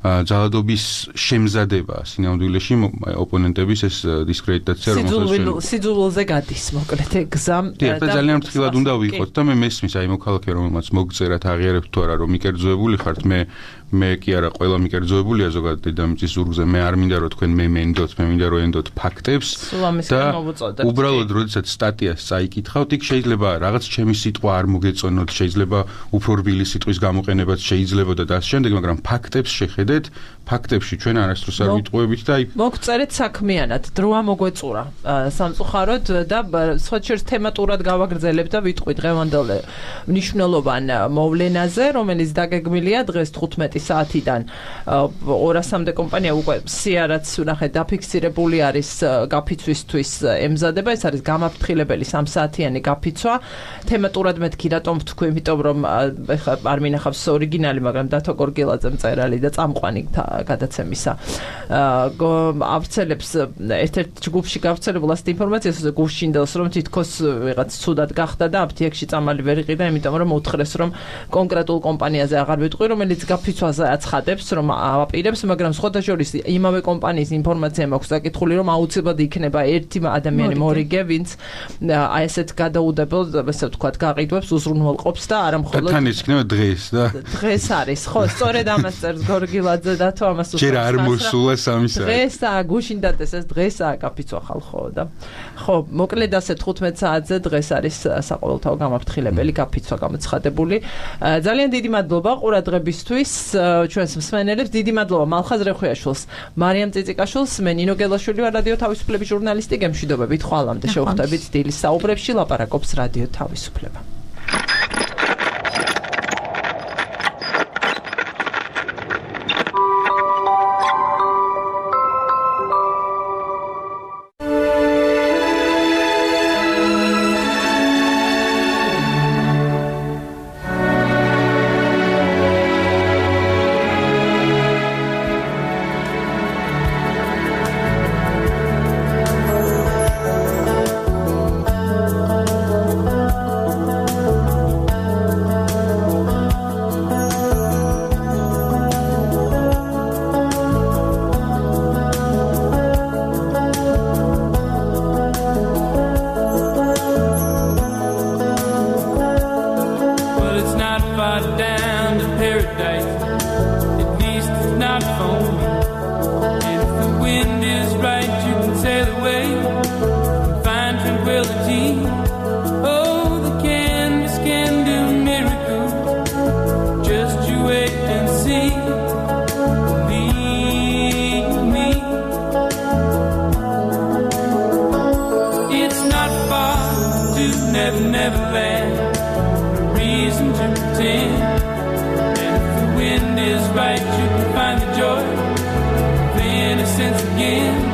ძალადობის შემზადება სინამდვილეში ოპონენტების ეს დისკრედიტაცია რომელსაც სიძულვილზე გადის მოკლედ ეგზამ და ძალიან ფრთხილად უნდა ვიყოთ და მე მესმის აი მოქალაქე რომელმაც მოგწერათ აღიარებთ თუ არა რომ მიკერძოებული ხართ მე მე კი არა ყველა მიკერძოებულია ზოგადად დედამიწის ზურგზე მე არ მინდა რომ თქვენ მე მენდოთ მე მინდა რომ ენდოთ ფაქტებს და უბრალოდ როდესაც სტატიას წაიკითხავთ იქ შეიძლება რაღაც ჩემი სიტყვა არ მოგეწონოთ შეიძლება უფრო რბილი სიტყვის გამოყენებაც შეიძლებოდა და ამ შემდეგ მაგრამ ფაქტებს შეხედეთ ფაქტებში ჩვენ არასდროს არ ვიტყუებით და აი მოგწერეთ საქმიანად დროა მოგვეწურა სამწუხაროდ და სხვაჩერს თემატურად გავაგრძელებ და ვიტყვი დღევანდელ მნიშვნელოვან მოვლენაზე რომელიც დაგეგმილია დღეს თხუთმეტი საათიდან ორასამდე კომპანია უკვე სიარაც ნახეთ დაფიქსირებული არის გაფიცვისთვის ემზადება ეს არის გამაფრთხილებელი სამ საათიანი გაფიცვა თემატურად მეთქი რატომ ვთქვი იმიტომ რომ ეხლა არ მინახავს ორიგინალი მაგრამ დათო გორგილაძე მწერალი და წამყვანი გადაცემისა ავრცელებს ერთ-ერთ ჯგუფში გავრცელებულ ასეთ ინფორმაციას გუშინდელს რომ თითქოს ვიღაც ცუდად გახდა და აფთიაქში წამალი ვერ იყიდა იმიტომ რომ უთხრეს რომ კონკრეტულ კომპანიაზე აღარ ვიტყვი რომელიც გაფიცვაზე აცხადებს რომ აპირებს მაგრამ სხვათა შორის იმავე კომპანიის ინფორმაცია მაქვს საკითხული რომ აუცილებლად იქნება ერთი ადამიანი მორიგე ვინც აი ესეთ გადაუდებელ ესე ვთქვათ გაყიდვებს უზრუნველყოფს და არა მხოლოდ თან ის იქნება დღეს და დღეს არის ხო სწორედ ამას წერს გორგილაძე და თუ ამას უბრალოდ ჯერ არ მოსულა სამი საათი დღესაა გუშინდათ ეს დღესაა გაფიცვა ხალხო და ხო მოკლედ ასე თხუთმეტ საათზე დღეს არის საყოველთაო გამაფრთხილებელი გაფიცვა გამოცხადებული ძალიან დიდი მადლობა ყურადღებისთვის ჩვენს მსმენელებს დიდი მადლობა მალხაზ რეხვიაშვილს მარიამ წიწიკაშვილს მე ნინო გელაშვილი ვარ რადიო თავისუფლების ჟურნალისტი გემშვიდობებით ხვალამდე შევხვდებით დილის საუბრებში ლაპარაკობს რადიო თავისუფლება neverland, reason to pretend. And if the wind is right, you can find the joy of innocence again.